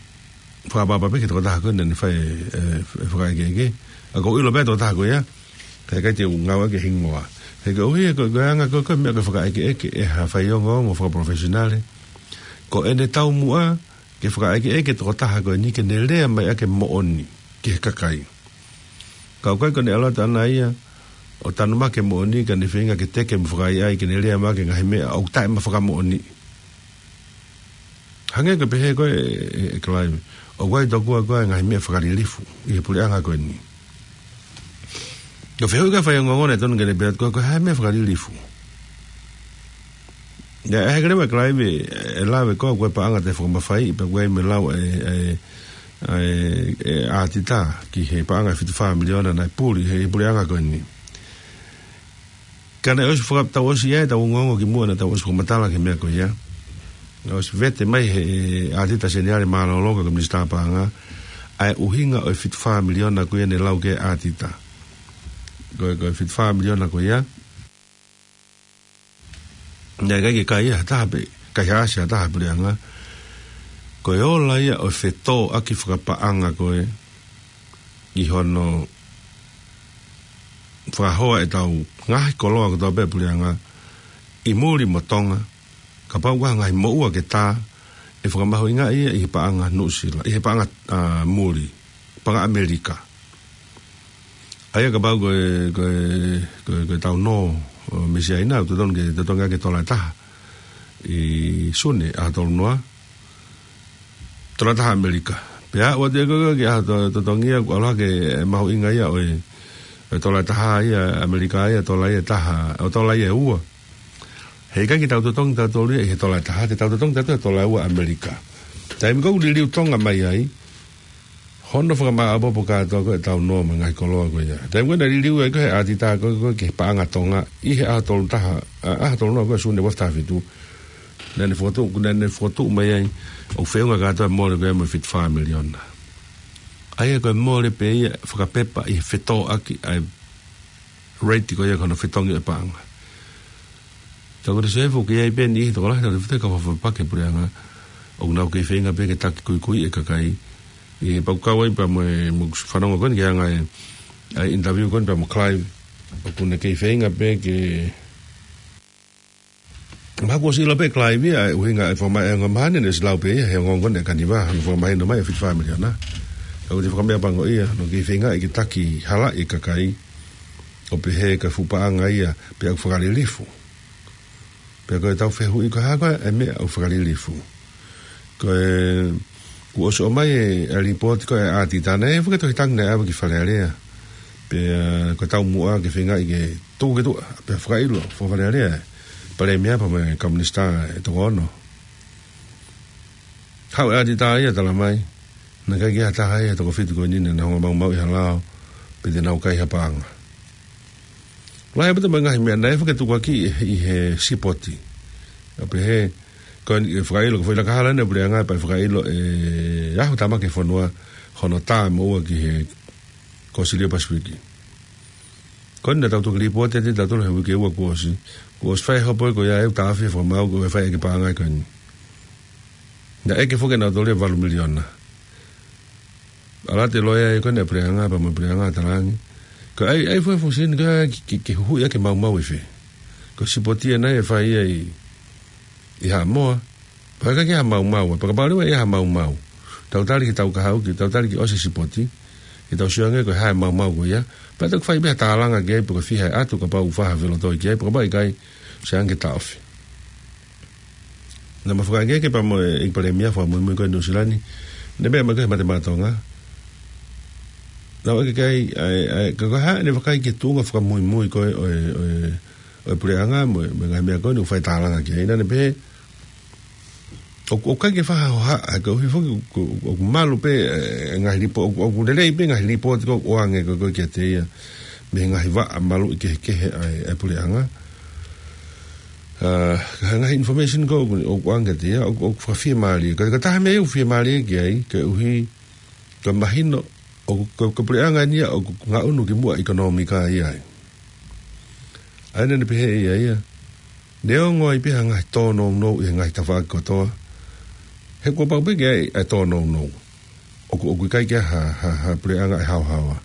fakaʻapaʻapa pē ki he tokotaha ko ē naʻa ne fai e, e, e fakaʻekeʻeke. ʻA, ʻoku ou ʻilo pē tokotaha ko ia, ka ʻikai te u ngāueʻaki e hingoa. He koeʻuhi ko, ko e anga ko, ko e meʻa ko e fakaʻekeʻeke ʻe ha faiongoongo fakaprofessional, ko ʻene taumuʻa ke fakaʻekeʻeke e tokotaha ko eni ke ne lea mai ʻaki e moʻoni ki he kakai. Ka ʻoku ʻikai ko ʻene ʻalu atu ʻana ia ʻo tanumaki e moʻoni ka ne feinga ke teke mo fakaʻaiʻai ke ne lea mai ʻaki e ngaahi meʻa ʻoku taʻemafakamoʻoniʻi. Hangē ko e pehē ko ē ʻe, ʻe, ʻe Clive, ʻoku ʻi ai tokua ko ē e ngaahi meʻa fakalilifu ʻi he puleʻanga ko eni. Ko e fehuʻi ko ē ʻa e faiongoongo naʻe tonu ke ne pehē atu ko e, ko e hā e meʻa fakalilifu. Naʻe ʻai hake leva ʻe Clive e, e lave ko ē ko e paʻanga taʻefakamafaiʻi pea ko e meʻa lau e, e, e, e ʻātita ki he paʻanga ʻe fitu fā miliona naʻe puli he puleʻanga ko eni. Ka naʻe ʻosi faka-, tau ʻosi ʻi ai ʻetau ongoongo kimuʻa naʻa tau ʻosi fakamatala ki he meʻa ko ia. Naʻe ʻosi vete mai he ʻātita Seniale mālōlō ko e Minisitā Paʻanga ʻa e ʻuhinga ʻo e fitu fā miliona ko ia naʻe lau ki ai e ʻātita. Ko e, ko e fitu fā miliona ko ia, naʻe ʻikai ke kai ia ha taha pē, kai ha ʻasi ha taha he puleʻanga. Ko e ola ia ʻo e fetōʻaki fakapaʻanga ko ē ʻi hono fakahoa ʻetau ngaahi koloa kotoa pē puleʻanga ʻi muli mo Tonga, kapau ko ha ngaahi moʻua ke tā, ʻe fakamahuʻingaʻi ia ʻi he paʻanga Nuʻusila, ʻi he paʻanga, ʻa, muli, paʻanga ʻAmelika. ʻA ia kapau ko e, ko e, ko e, ko e tau nō, ʻo, mei Siaina, ʻoku totonu ke, totonu ke tola ʻe taha ʻi Sune, ʻaho tolu noa, tola ʻe taha ʻAmelika. Pea ʻoua te ko ke ʻaho to-, totongi ia, ʻoku ʻalu hake e mahuʻinga ia ʻo e, e tola ʻe taha ia ʻAmelika ia, tola ia ʻe taha, ʻo tola ia ʻe ua. He ʻikai ke tau totongi tautolu ia ʻi he tola ʻe taha, te tau totongi tautolu he tola ʻe ua ʻAmelika. Taimi ko ē ʻoku liliu Tonga mai ai, hono fakamāʻopoʻopo kātoa ko ē ʻetau nō mo e ngaahi koloa ko ia. Taimi ko ē naʻe liliu ai ko ē he ʻātita ko ē, ko ē ki he paʻanga Tonga, ʻi he ʻaho tolu taha, ʻa, ʻaho tolu noa ko ē Sune ua taha fitu. Naʻa ne fokotuʻu, naʻa ne fokotuʻu mai ai, ʻoku feʻunga kātoa e mole ko ia mo e fitu fā miliona. ʻA ia ko e mole pē ia fakapepa ʻi he fetōʻaki ʻa e rate ko ia ko hono fetongi e paʻanga. Tau ko te sefu ke ʻi ai pē niʻihi tokolahi tau te fute ka fafapake puleʻanga. ʻOku nau kei feinga pē ke taki kuikui e kakai. ʻI he pau kau ai pea mo e, mo e fanongo ko eni ki he anga e, ʻa e interview ko eni pea mo Clive. ʻOku ne kei feinga pē ke, mahalo kuo ʻosi ʻilo pē Clive ia, ʻa e ʻuhinga e fakamai e ongo mahani, naʻe ʻosi lau pē ia he ongoongo ko eni ʻa Kaniva, hono fakamahino mai e fitu fā miliona. Ka ʻoku te fakameʻapangoʻia, hono kei feinga ke taki halaʻi e kakai, ʻo pehē ko e fuʻu paʻanga ia, pea ʻoku fakalilifu. Pea ko ʻetau fehuʻi ko e hā ko ē e meʻa ʻoku fakalilifu. Ko e, kuo ʻosi ʻomai e, e lipooti ko ē ʻa e ʻātita naʻe, fakatohitangi naʻe ʻave ki Fale Alea. Pea ko e taumuʻa ke feingaʻi ke tuku ki tuʻa, pea fakaʻilo, faka-Fale Alea. Palēmia pea mo e kau minisitā ʻe toko ono. Haʻu e ʻātita ia tala mai, naʻe ʻikai ke ʻi ai ha taha ia he toko fitu ko eni naʻa nau hanga ʻo maumauʻi ha lao, pe te nau kai ha paʻanga. Lahi pē mo e ngaahi meʻa naʻe fakatukuakiʻi ʻi he, ʻi he sipoti. ʻO pehē, ko eni ʻe fakaʻilo, ko e foʻi lakahala eni ʻa e puleʻanga pea ʻe fakaʻilo ʻe ʻahu tāmaki e fonua, hono tā e moʻua ki he Kosilio Pasifiki. Ko eni naʻa tau toki lipooti atu ʻe tautolu he uike ua kuo ʻosi. Kuo ʻosi fai e hopo ko ia ʻe ʻoku taʻofi e fakamaau ko e fai ʻaki e paʻanga ko eni. Naʻe ʻeke foki ʻe nautolu e valu miliona. ʻAlu atu e loea ia ko eni ʻa e puleʻanga, pea mo e puleʻanga talaange, ko e ʻai, ʻai fua fusin ko e ke, ke, ke huhuʻi ʻaki e maumau ʻi fē. Ko e sipoti ena ʻe fai ia ʻi, ʻi Haʻamoa. Pea ʻikai ke ʻi ai ha maumau, pea kapau leva ʻe ʻi ai ha maumau, tau tali ki he tau kahaʻu, ke tau tali ke ʻosi e sipoti, ke tau sio ange ko e hā e maumau ko ia, pea tau fai pē ha tālanga ki ai, pe ko e fiha e ʻatu, kapau ʻoku fai ha felotoi ki ai, pe kapau ʻikai, sio ange ke taʻofi. Naʻa ma fakaʻekeʻeke pea mo e ʻEiki Palēmia fakamuimui ko ē Nuʻusila ni, ne meʻa mai ko ē he Mate Maʻa Tonga. Naʻa ma ʻeke ki ai, ʻa e, ʻa e, ka ko e hā ʻene vakai ki he tuʻunga fakamuimui ko ē ʻo e, ʻo e, ʻo e puleʻanga mo e, mo e ngaahi meʻa ko eni ʻoku fai tālanga ki ai, naʻa ne pehē, ʻoku, ʻoku ʻikai ke fai ha hohaʻa, he koeʻuhi foki ʻoku, ʻoku, ʻoku malu pē e, e ngaahi lipo-, ʻoku, ʻoku lelei pē ngaahi lipooti ko ē ʻoku ʻoange ko ē, ko ē kiate ia mei he ngaahi vaʻa maluʻi kehekehe ʻa e, ʻa e puleʻanga. ʻA, ka ko e ngaahi information ko ē ʻoku, ʻoku ʻoange kiate ia, ʻoku, ʻoku fakafiemālie. Ka, ka ko e taha e meʻa ia ʻoku fiemālie ki ai, koeʻuhi ko e mahino ʻoku, ko e, ko e puleʻanga eni ia ʻoku ngaʻunu kimuʻa ʻikonōmika ia ai. ʻA ia naʻa ne pehē ʻe ia ia, neongo ai pē ha ngaahi tōnounou ʻi he ngaahi tafaʻaki kotoa, he kuo pau pē ke ʻi ai ʻa e tōnounou. ʻOku, ʻoku ʻikai ke ʻi ai ha, ha, ha puleʻanga ʻe haohaoa.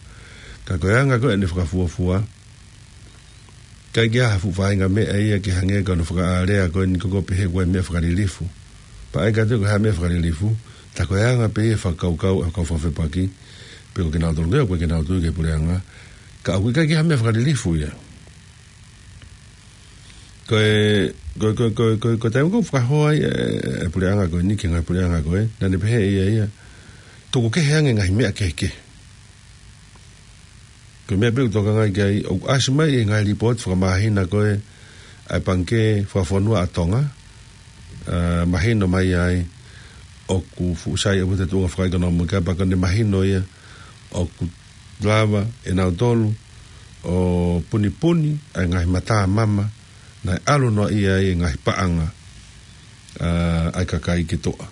Ka ko e anga ko ē ʻene fakafuofua, ʻikai ke ʻi ai ha fuʻu faʻahinga meʻa ia ke hangē ko hono fakaʻālea ko eni ko ē ʻoku pehē ko e meʻa fakalilifu. Pea ʻai kātoa ko e hā e meʻa fakalilifu, tā ko e anga pē ia e fakakaukau ʻa e kau fakafepaki, pe ko kinautolu ko ē ʻoku ʻikai ke nau tui ki he puleʻanga. Ka ʻoku ʻikai ke ʻi ai ha meʻa fakalilifu ia. Ko e, ko, ko, ko, ko, ko e taimi ko ē ʻoku fakahoa ai e, e puleʻanga ko eni ki he ngaahi puleʻanga ko ē, naʻa ne pehē ʻe ia ia, tuku kehe ange e ngaahi meʻa kehekehe. Ko e meʻa pē ʻoku tokangaʻi ki ai, ʻoku ʻasi mai e ngaahi lipooti fakamāhina ko ē ʻa e Pangikē Fakafonua ʻa Tonga, ʻa, mahino mai ai ʻoku fuʻu sai ʻaupito e tuʻunga fakaʻekonōmika, pea ko ʻene mahino ia ʻoku lava ʻe nautolu ʻo punipuni ʻa e ngaahi matamama naʻe ʻalu noaʻia ai e ngaahi paʻanga, ʻa, ʻa e kakai ki tuʻa.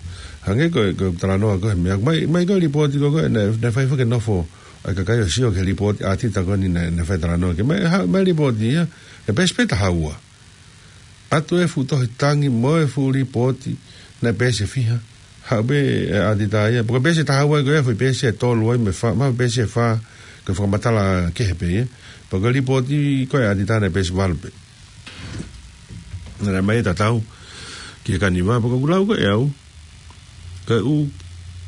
Hangē ko e, ko e talanoa ko ē he meʻa, mai, mai ko e lipooti ko ē, naʻe, naʻe fai foki e nofo ʻa e kakai ʻo sio ki he lipooti ʻa ʻAtita ko eni naʻe, naʻe fai talanoa ki ai. Mai, ha, mai lipooti ia, ʻi he peesi pē ʻe taha ua. ʻAtu e fuʻu tohi tangi mo e fuʻu lipooti naʻe peesi ʻe fiha. Haʻu pē ʻe ʻAtita ia. Pea ko e peesi ʻe taha ua ko ē, foʻi peesi ʻe tolu ai mo e fā, mo e peesi ʻe fā, ko e fakamatala kehe pē ia. Pea ko e lipooti ko ē ʻa ʻAtita naʻe peesi ʻe valu pē. Naʻe ʻomai e tatau ki he kaniva, pea ko ʻeku lau ko ē ʻe au, ko e ʻū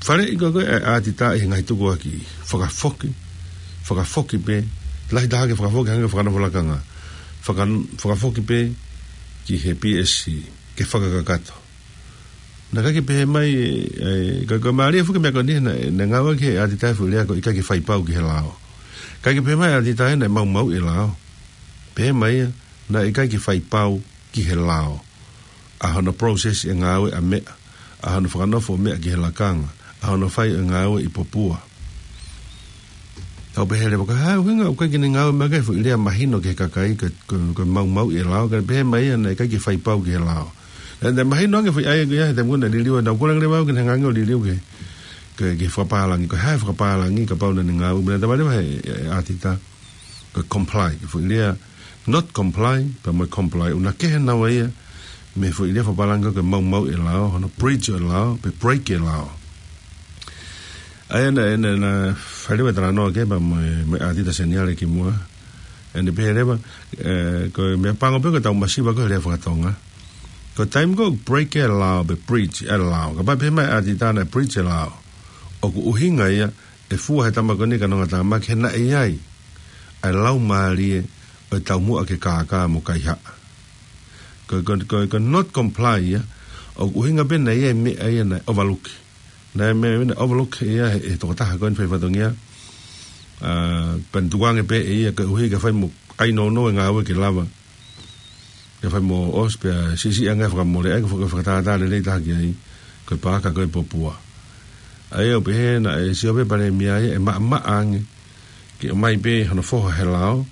faleʻi ko ē ʻa ʻAtita ʻi he ngaahi tukuakiʻi, fakafoki, fakafoki pē, lahi taha ke fakafoki hangē ko e fakanofo lakanga. Faka-, fakafoki pē ki he P S C, ke fakakakato. Naʻe ʻikai ke pehē mai, e, e, ka, ka mālie foki e meʻa ko eni, naʻe, naʻe ngāueʻaki ʻe ʻAtita e foʻi lea ko e ʻikai ke fai pau ki he lao. ʻIkai ke pehē mai ʻe ʻAtita ia naʻe maumauʻi e lao. Pehē mai ia, naʻe ʻikai ke fai pau ki he lao. ʻA hono process e ngāue ʻa e meʻa, ʻa hono fakanofo e meʻa ki he lakanga, ʻa hono fai e ngāue ʻi Popua. Tau pehē leva ko e hā e ʻuhinga ʻoku ʻikai ke ne ngāue mai ki ai e foʻi lea mahino ki he kakai ko e, ko e, ko e maumauʻi e lao, ka pehē mai ia naʻe ʻikai ke fai pau ki he lao. Naʻe, naʻe mahino ange e foʻi ʻai ko ia he taimi ko ē naʻe liliu ai, naʻa ku kole ange leva au ke ne hanga ange ʻo liliu ki he, ki he, ki he fakapālangi, ko e hā e fakapālangi kapau naʻa ne ngāue, mo e lea naʻe tala mai ʻe, ʻe ʻAtita, ko e comply, ko e foʻi lea not comply, pea mo e comply, ʻoku na kehe naua ia mei he foʻi lea fakapālangi ko e maumauʻi e lao, hono breach e lao, pe break e lao. ʻA ia naʻe, naʻe, naʻe fai leva e talanoa ki ai pea mo e, mo e ʻAtita Seniale kimuʻa. ʻA ia naʻe pehē leva, e, ko e meʻapango pē ko ʻetau masiva ko ē he lea faka-Tonga. Ko e taimi ko ē ʻoku break e lao, pe breach e lao. Kapau pehē mai ʻe ʻAtita naʻe breach e lao, ʻoku ʻuhinga ia ʻe fua ʻe he tama ko eni ʻa e kanongatāmaki he naʻe ʻi ai ʻa e laumālie ʻo e taumuʻa ke kākā mo kaihaʻa. Ko, ko, ko, ko e not comply ia, ʻoku ʻuhinga pē naʻe ʻi ai e meʻa ia naʻe overlook. Naʻe ʻi ai e meʻa ia naʻe overlook ia ʻe he, ʻe he tokotaha ko eni fai fatongia. ʻA, pea ne tukuange pē ʻe ia koeʻuhi ke fai mo ʻai nounou e ngāue ke lava ke fai mo ʻosi pea siʻisiʻi ange e fakamole, ʻa ia ko e faka-, fakatātā lelei taha ki ai, ko e paaka ko ē ʻi Popua. ʻA ia ʻoku pehē naʻe sio pē Palēmia ia ʻe maʻamaʻa ange ke ʻomai pē hono foha he lao.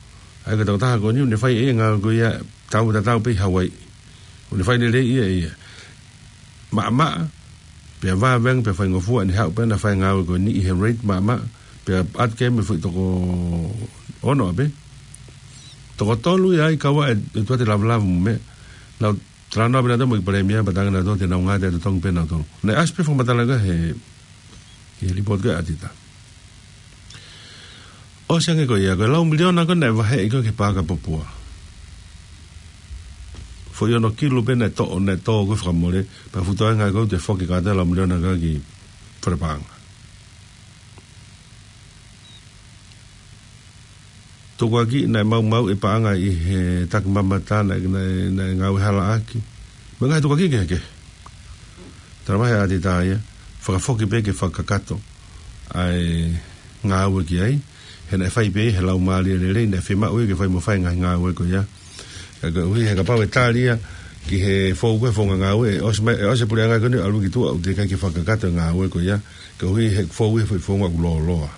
ʻA ia ko e tokotaha ko eni ʻoku ne fai ʻe ia e ngāue ko ia, tau tatau pē ʻi Hawaiʻi. ʻOku ne fai lelei ia ʻe ia. Maʻamaʻa, pea vāvenge, pea faingofua, ʻene haʻu pē ʻo ne fai e ngāue ko eni ʻi he rate maʻamaʻa, pea ʻatu ki ai mo e foʻi toko ono ʻapē. Toko tolu ia ai kau ai e, e tuate lavulavu mo e meʻa. Naʻa ku talanoa pē naʻa tau mo e Palēmia, pea talaange naʻa tau te nau ngāue ʻi he totongi pē naʻa tau. Naʻe ʻasi pē fakamatala ko ē he, he lipooti ko ē ʻa ʻAtita. ʻOsi ange ko ia, ko e lau miliona ko ē naʻe vaheʻi ko ē ki he paaka Popua. Foʻi ono kilu pē naʻe toʻo, naʻe tō ko ē fakamole, pea fuʻu toenga ko ē ʻoku toe foki kātoa e lau miliona ko ē ki Falepaʻanga. Tukuakiʻi naʻe maumauʻi e paʻanga ʻi he takimamata naʻe, naʻe, naʻe ngāue halaʻaki. Mo e ngaahi tukuakiʻi kehekehe. Tala mai ʻe ʻAtita ia, fakafoki pē ke fakakakato ʻa e ngāue ki ai, he naʻe fai pē he laumālie lelei, naʻe fiemaʻu ia ke fai mo fai e ngaahi ngāue ko ia. Ka koeʻuhi he kapau ʻe tali ia ki he fou ko ē e founga ngāue, ʻe ʻosi mai, ʻe ʻosi e puleʻanga ko eni ʻo ʻalu ki tuʻa, ʻoku teʻeki ai ke fakakakato e ngāue ko ia, koeʻuhi he fou ia e foʻi founga ʻoku lōloa.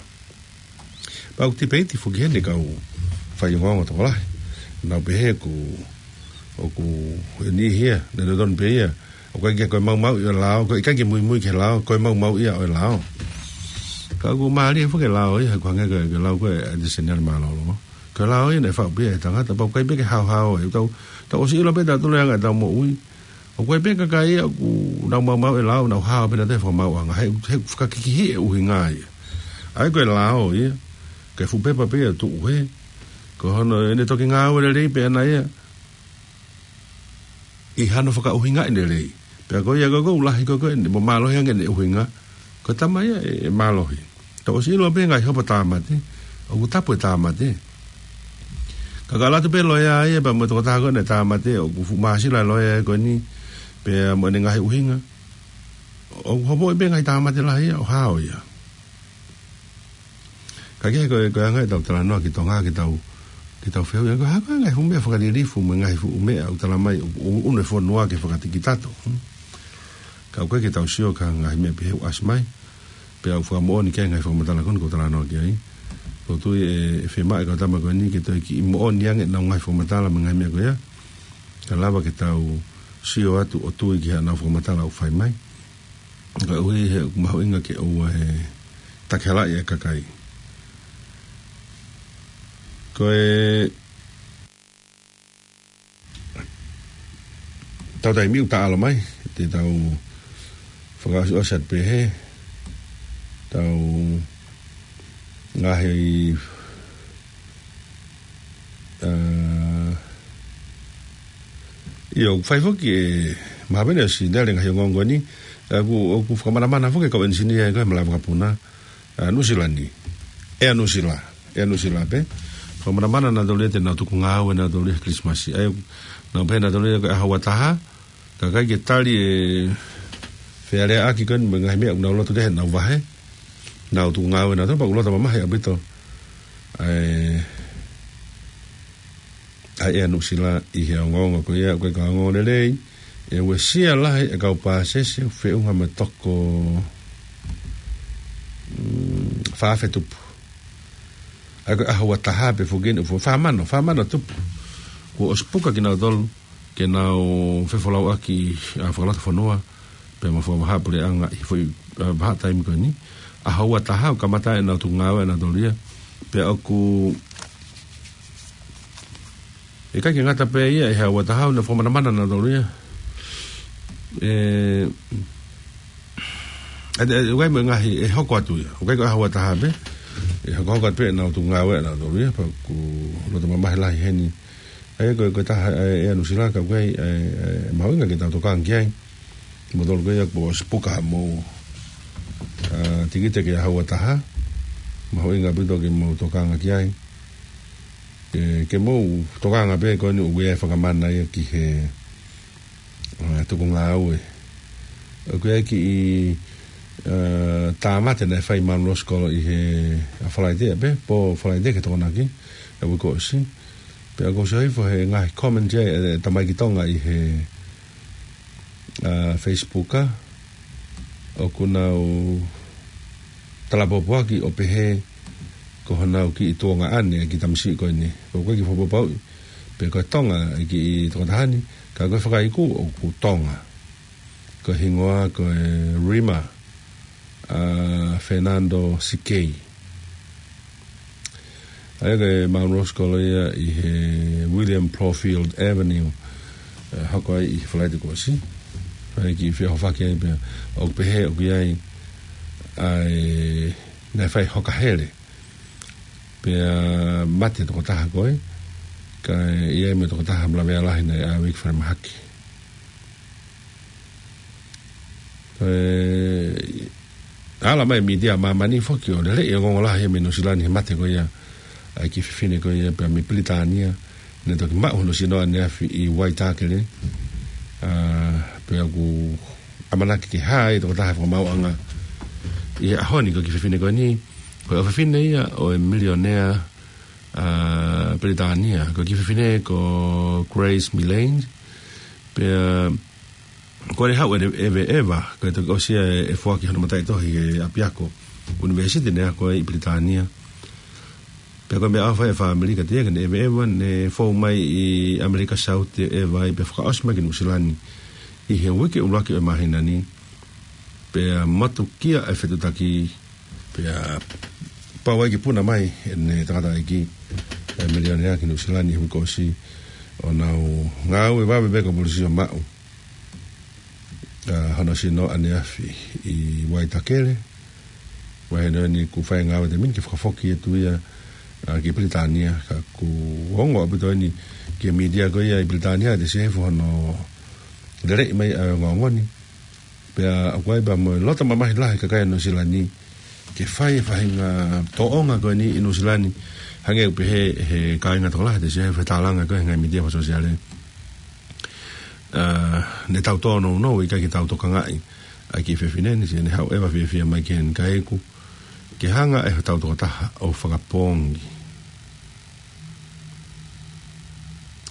Pea ʻoku tipeiti foki heni e kau faiongoongo tokolahi. Nau pehē ʻoku, ʻoku ʻi ai e niʻihi ia, naʻe totonu pē ia, ʻoku ʻikai ke ko e maumauʻi ʻo e lao, ko e ʻikai ke muimui ki he lao, ko e maumauʻi ia ʻo e lao. Ka ʻoku mālie foki e lao ia, he ʻoku hangē ko e, ko e lau ko ē ʻa e Seniale mālōlō. Ko e lao ia naʻe faʻu pē ia ʻe he tangata, pea ʻoku ʻikai pē ke haohaoa ia. Tau, tau ʻosi ʻilo pē ʻe tautolu e anga ʻetau moʻui. ʻOku ʻikai pē kakai ia ʻoku nau maumauʻi e lao, nau hao pē ʻenau fakamoʻuiʻanga. He, he fakakikihi e ʻuhinga ia. ʻA ia ko e lao ia, ko e fuʻu pepa pē ia ʻoku tuʻu hē. Ko hono, ʻene toki ngāue lelei pē ʻana ia ʻi hano fakaʻuhingaʻi lelei. Pea ko ia ko ē ʻoku lahi ko ē, ʻoku ne, mo mālohi ange ʻene ʻuhinga. Ko e tama ia ʻe, ʻe mālohi. Tau ʻosi ʻilo pē ngaahi hopo tāmate, ʻoku tapu e tāmate. Ka ka ʻalu atu pē loea ia, pea mo e tokotaha ko ē naʻe tāmate, ʻoku fuʻu māsila loea ko eni, pea mo ʻene ngaahi ʻuhinga. ʻOku hopoʻi pē ngaahi tāmate lahi ia, ʻo hao ia. Ka ke ko e, ko e anga ʻetau talanoa ki Tonga, ke tau, ke tau fehuʻi, ko e hā ko e ngaahi fuʻu meʻa fakalilifu mo e ngaahi fuʻu meʻa ʻoku tala mai ʻoku, ʻoku ʻunu e fonua ke fakatikitato. Hmm. Ka ʻoku ʻikai ke tau sio ki he ngaahi meʻa pehē ʻoku ʻasi mai, pea ʻoku fakamoʻoni ki ai e ngaahi fakamatala ko eni ʻoku ou talanoa ki ai. ʻOku ou tui ʻe, ʻe fiemaʻu e kau tama ko eni ke toe kiʻi moʻoni ange ʻenau ngaahi fakamatala mo e ngaahi meʻa ko ia. Ka lava ke tau sio atu ʻo tui ki haʻanau fakamatala ʻoku fai mai. Ka ʻoku ʻi ai he mahuʻinga ke ʻoua ʻe takihalaʻi e kakai. Ko e tau taimi ʻoku taʻalo mai, te tau fakaʻosiʻosi atu pē he tau ngaahi, ʻa, ʻio, ʻoku fai foki e mahavene ʻo Sinele ngaahi ongoongo ni, ʻa, ʻoku, ʻoku fakamanamana foki e kau ʻenisinia ko ē he malaʻe vakapuna, ʻa, Nuʻusila ni. ʻEa Nuʻusila, ʻEa Nuʻusila pē. Fakamanamana nautolu ia te nau tuku ngāue nautolu ia he Kilisimasi. ʻA ia, nau pehē nautolu ia ko e ʻaho ua taha, ka ʻikai ke tali e fealeaʻaki ko eni mo e ngaahi meʻa ʻoku nau loto ki ai heʻenau vahe. Nau tuku ngāue nautolu pea ʻoku loto mamahi ʻaupito. ʻA e, ʻa e ʻEa Nuʻusila ʻi he ongoongo ko ia, ko e kau ongoongo lelei, ʻe uesia lahi e kau pāsese, feʻunga mo e toko, mm, fā afe tupu. ʻA ia ko e ʻaho ua taha pē foki eni, fu-, fā mano, fā mano tupu. Kuo ʻosi puka kinautolu, ke nau fefolauʻaki, ʻa, fakalotofonua, pea mo e fakavahaʻapuleʻanga ʻi he foʻi, ʻa, vahaʻa taimi ko eni. ʻAho ua taha ʻoku kamata ai ʻenau tuku ngāue ʻanautolu ia. Pea ʻoku ʻikai ke ngata pē ia he ʻaho ua taha ʻoku nau fakamanamana nautolu ia. ʻE, ʻe, ʻe, ʻoku ʻi ai mo e ngaahi ʻe hoko atu ia. ʻOku ʻikai ko e ʻaho ua taha pē. ʻE hokohoko atu pē ʻenau tuku ngāue ʻanautolu ia. Pea ʻoku loto mamahi lahi heni. ʻA ia ko e, ko e taha, ʻa e, ʻEa Nuʻusila ka ʻoku ʻi ai, ʻa e, ʻa e, mahuʻinga ke tau tokanga ki ai. Moutolu ko ia kuo ʻosi puka mo, ʻa, tikite ki he ʻaho ua taha. Mahuʻinga ʻaupito ke mou tokanga ki ai. Ke, ke mou tokanga pē ko eni ʻoku ʻi ai e fakamana ia ki he, ʻa, tuku ngāue. ʻOku ʻi ai e kiʻi, ʻa, tāmate naʻe fai ʻe Manuel Scolo ʻi he, ʻa, Falaite pē, pō Falaite ki he Tokonaki, ʻa e uike kuo ʻosi. Pea ʻoku ou sio hifo he ngaahi comment ia ʻa e, ʻa e tamaiki Tonga ʻi he, ʻa, Facebook, ʻa, ʻoku nau talapōpōaki ʻo pehē ko honau kiʻi tuongaʻane e kiʻi tamasiʻi ko eni. Pea ʻoku ʻikai ke fakapapauʻi pe ko e Tonga e kiʻi tokotaha ni, ka ko e fakaiku ʻoku Tonga. Ko e hingoa ko e Rima, ʻa, Fernando Sikei. ʻA ia ko e Manuel Scolo ia ʻi he William Plowfield Avenue, ʻe, hoko ai ʻi he Falaite kuo ʻosi. Fai e kiʻi feʻohofaki ai pea ʻoku pehē ʻoku ʻi ai ʻa e, naʻe fai hoka hele. Pea mate e tokotaha ko ē, kae ʻi ai mo e tokotaha malaʻe lahi naʻe ʻave ki falemahaki. ʻE, ala mai e mītia ʻa māmani foki ʻo lele e ongoongo lahi mei Nuʻusila ni he mate ko ia ʻa e kiʻi fefine ko ia pea mei Pilitānia. Naʻe toki maʻu hono sino ʻaneafi ʻi Waitākele. ʻA, pea ʻoku ʻamanaki ke hā e tokotaha fakamaauʻanga ʻi he ʻaho ni. Ko e kiʻi fefine ko eni, ko e ʻofefine ia ʻo e milionea, ʻa, Pilitānia. Ko e kiʻi fefine ko Grace Millane. Pea ko ʻene haʻu ʻEve-, ʻEveʻeva, ko e toki ʻosi ia ʻe, ʻe foaki hono mataʻitohi he ʻapiako ʻunivēsiti naʻe ako ai ʻi Pilitānia. Pea ko e meʻa ʻoku fai ʻe he fāmili ka te ia ke ne ʻeveʻeva, ne fou mai ʻi ʻAmelika Saute ʻo ʻeva ai pea fakaʻosi mai ki Nuʻusila ni ʻi he uike ʻuluaki ʻo e māhina ni. Pea motukia e fetuʻutaki, pea pau ai ke puna mai ʻene tangataʻeiki. e milionea ki Nuʻu Sila ni he uike kuo ʻosi, ʻo nau ngāue vave pē ko e polisi ʻo maʻu ʻa hono sino ʻaneafi ʻi Waitakere. Vahe noa ni kuo fai ngāue ʻa e taimi ni ke fakafoki atu ia, ʻa, ki Pilitānia, ka kuo ongo ʻaupito eni ki he mītia ko ia ʻi Pilitānia ʻa e Siasi ʻo hono leleʻi mai ʻa e ongoongo ni. Pea ʻoku ʻi ai pē mo e loto mamahi lahi ʻa e kakai ʻo Nuʻu Sila ni ke fai e faʻahinga tōʻonga ko eni ʻi Nuʻu Sila ni, hangē ʻoku pehē ʻe he kāinga tokolahi ʻa e Siasi ʻo e tālanga ko ē he ngaahi mītia fakasōsiale. ʻA, ne tau tōnounou, ʻikai ke tau tokangaʻi ʻa e kiʻi fefine ni, sio ne haʻu ʻeva fiefia mai ki heni kae ʻikai ke hanga ʻe hotau tokotaha ʻo fakapoongi.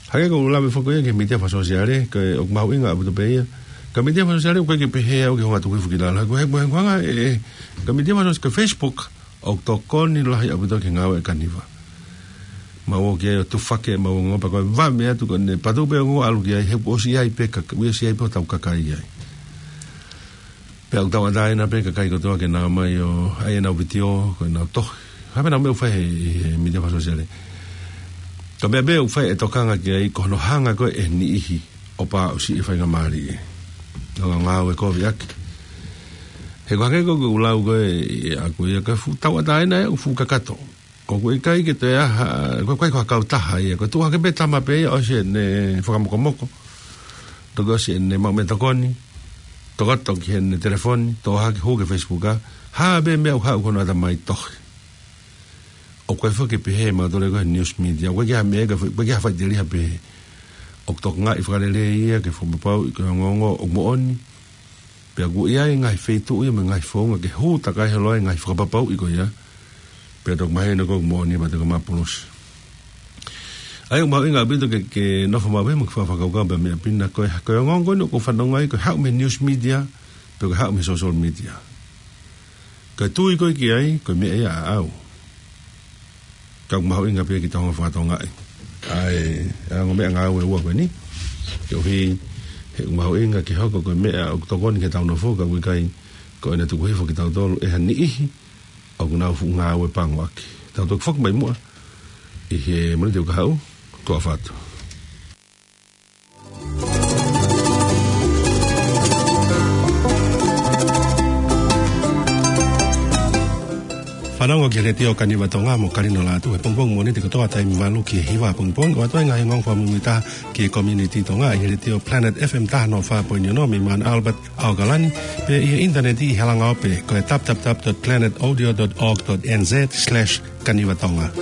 Hangē ko e lave foki ia ki he mītia fakasōsiale, ko e ʻoku mahuʻinga ʻaupito pē ia. Ka mītia fakasōsiale ʻoku ʻikai ke pehē au ke hanga ʻo tuku hifo ki lalo. Ko e, ko e, ko e hanga ʻe, ʻe, ka mītia fakasōsiale, ka Facebook, ʻoku tokoni lahi ʻaupito ki he ngāue ʻa e kaniva. Mau ō ki ai ʻo tufaki ʻemau ongoongo pea ko e vave atu ko ʻene patu pē ongoongo ʻalu ki ai he kuo ʻosi ʻi ai pē ka, kuo ʻosi ʻi ai pē hotau kakai ai. Pea ʻoku tauʻatāina pē kakai kotoa ke nau ō mai ʻo ʻai ʻenau vitiō, ko ʻenau tohi. Hā pē ʻenau meʻa ʻoku fai he, he mītia fakasōsiale. Ka meʻa pē ʻoku fai e tokanga ki ai ko hono hanga ko ē ʻe he niʻihi ʻo pāʻusiʻi e faingamālie. ʻO ngāue kovi ʻaki. He ko e hangē ko ʻeku lau ko ē ʻaʻaku ia ka fuʻu tauʻatāina ē, ʻoku fuʻu kakato. ʻOku ʻikai ke toe ʻi ai ha, ko e, ko e, ko e kautaha ia, ko e tuʻu hake pē tama pē ia ʻosi ʻene fakamokomoko. Toki ʻosi ʻene maʻu meʻatokoni, tokoto ki heʻene telefoni, toʻo hake hū ki he Facebook ʻa, hā pē meʻa ʻoku haʻu ki hono ʻatamai tohi. ʻOku ʻikai foki ke pehē mautolu ko e news media, ʻoku ʻikai ha meʻa, ʻoku ʻikai ha faʻiteliha pehē. ʻOku tokangaʻi fakalelei ia ke fakapapauʻi ko e ongoongo ʻoku moʻoni. Pea ʻoku ʻi ai e ngaahi feituʻu ia mo e ngaahi founga ke hū takai holo ai e ngaahi fakapapauʻi ko ia. Pea toki mahino ko e moʻoni pea toki maʻu polosi. ʻA ia ʻoku mahuʻinga ʻaupito ke, ke nofo maʻu pē mo ke fakakaukau pē meʻa pē ʻa ko e, ko e ongoongo ko eni ʻoku fanongo ai ko e haʻu mei he news media, pe ko e haʻu mei he social media. Ka tui ko ē ki ai, ko e meʻa ia ʻaʻau. Ka ʻoku mahuʻinga pē ke tau hanga ʻo fakatokangaʻi ʻa e, ʻa e ongo meʻangāue ʻe ua ko eni. Koeʻuhi he ʻoku mahuʻinga ke hoko ko e meʻa ʻoku tokoni ki heʻetau nofo ka ʻoku ʻikai ko ʻene tuku hifo kitautolu ʻe ha niʻihi ʻoku nau fuʻu ngāue pango ʻaki. Tau toki foki mai muʻa ʻi he Mōnite ʻoku haʻu, tuʻa ʻofa atu. Fanongo ki he Letiō Kaniva Tonga mo Kalino Lātū he pongipongi Mōnite kotoa taimi valu ki he hiva pongipongi, ʻo ʻoatu ai e ngaahi ongoongo fakamuimuitaha ki he community Tonga ʻi he Letiō Planet F M taha noa fā poini ono mei Mount Albert, ʻAokalani, pea ʻi he ʻinitaneti ʻi he langaope ko e w w w dot planet audio dot org dot n z slash kaniva tonga.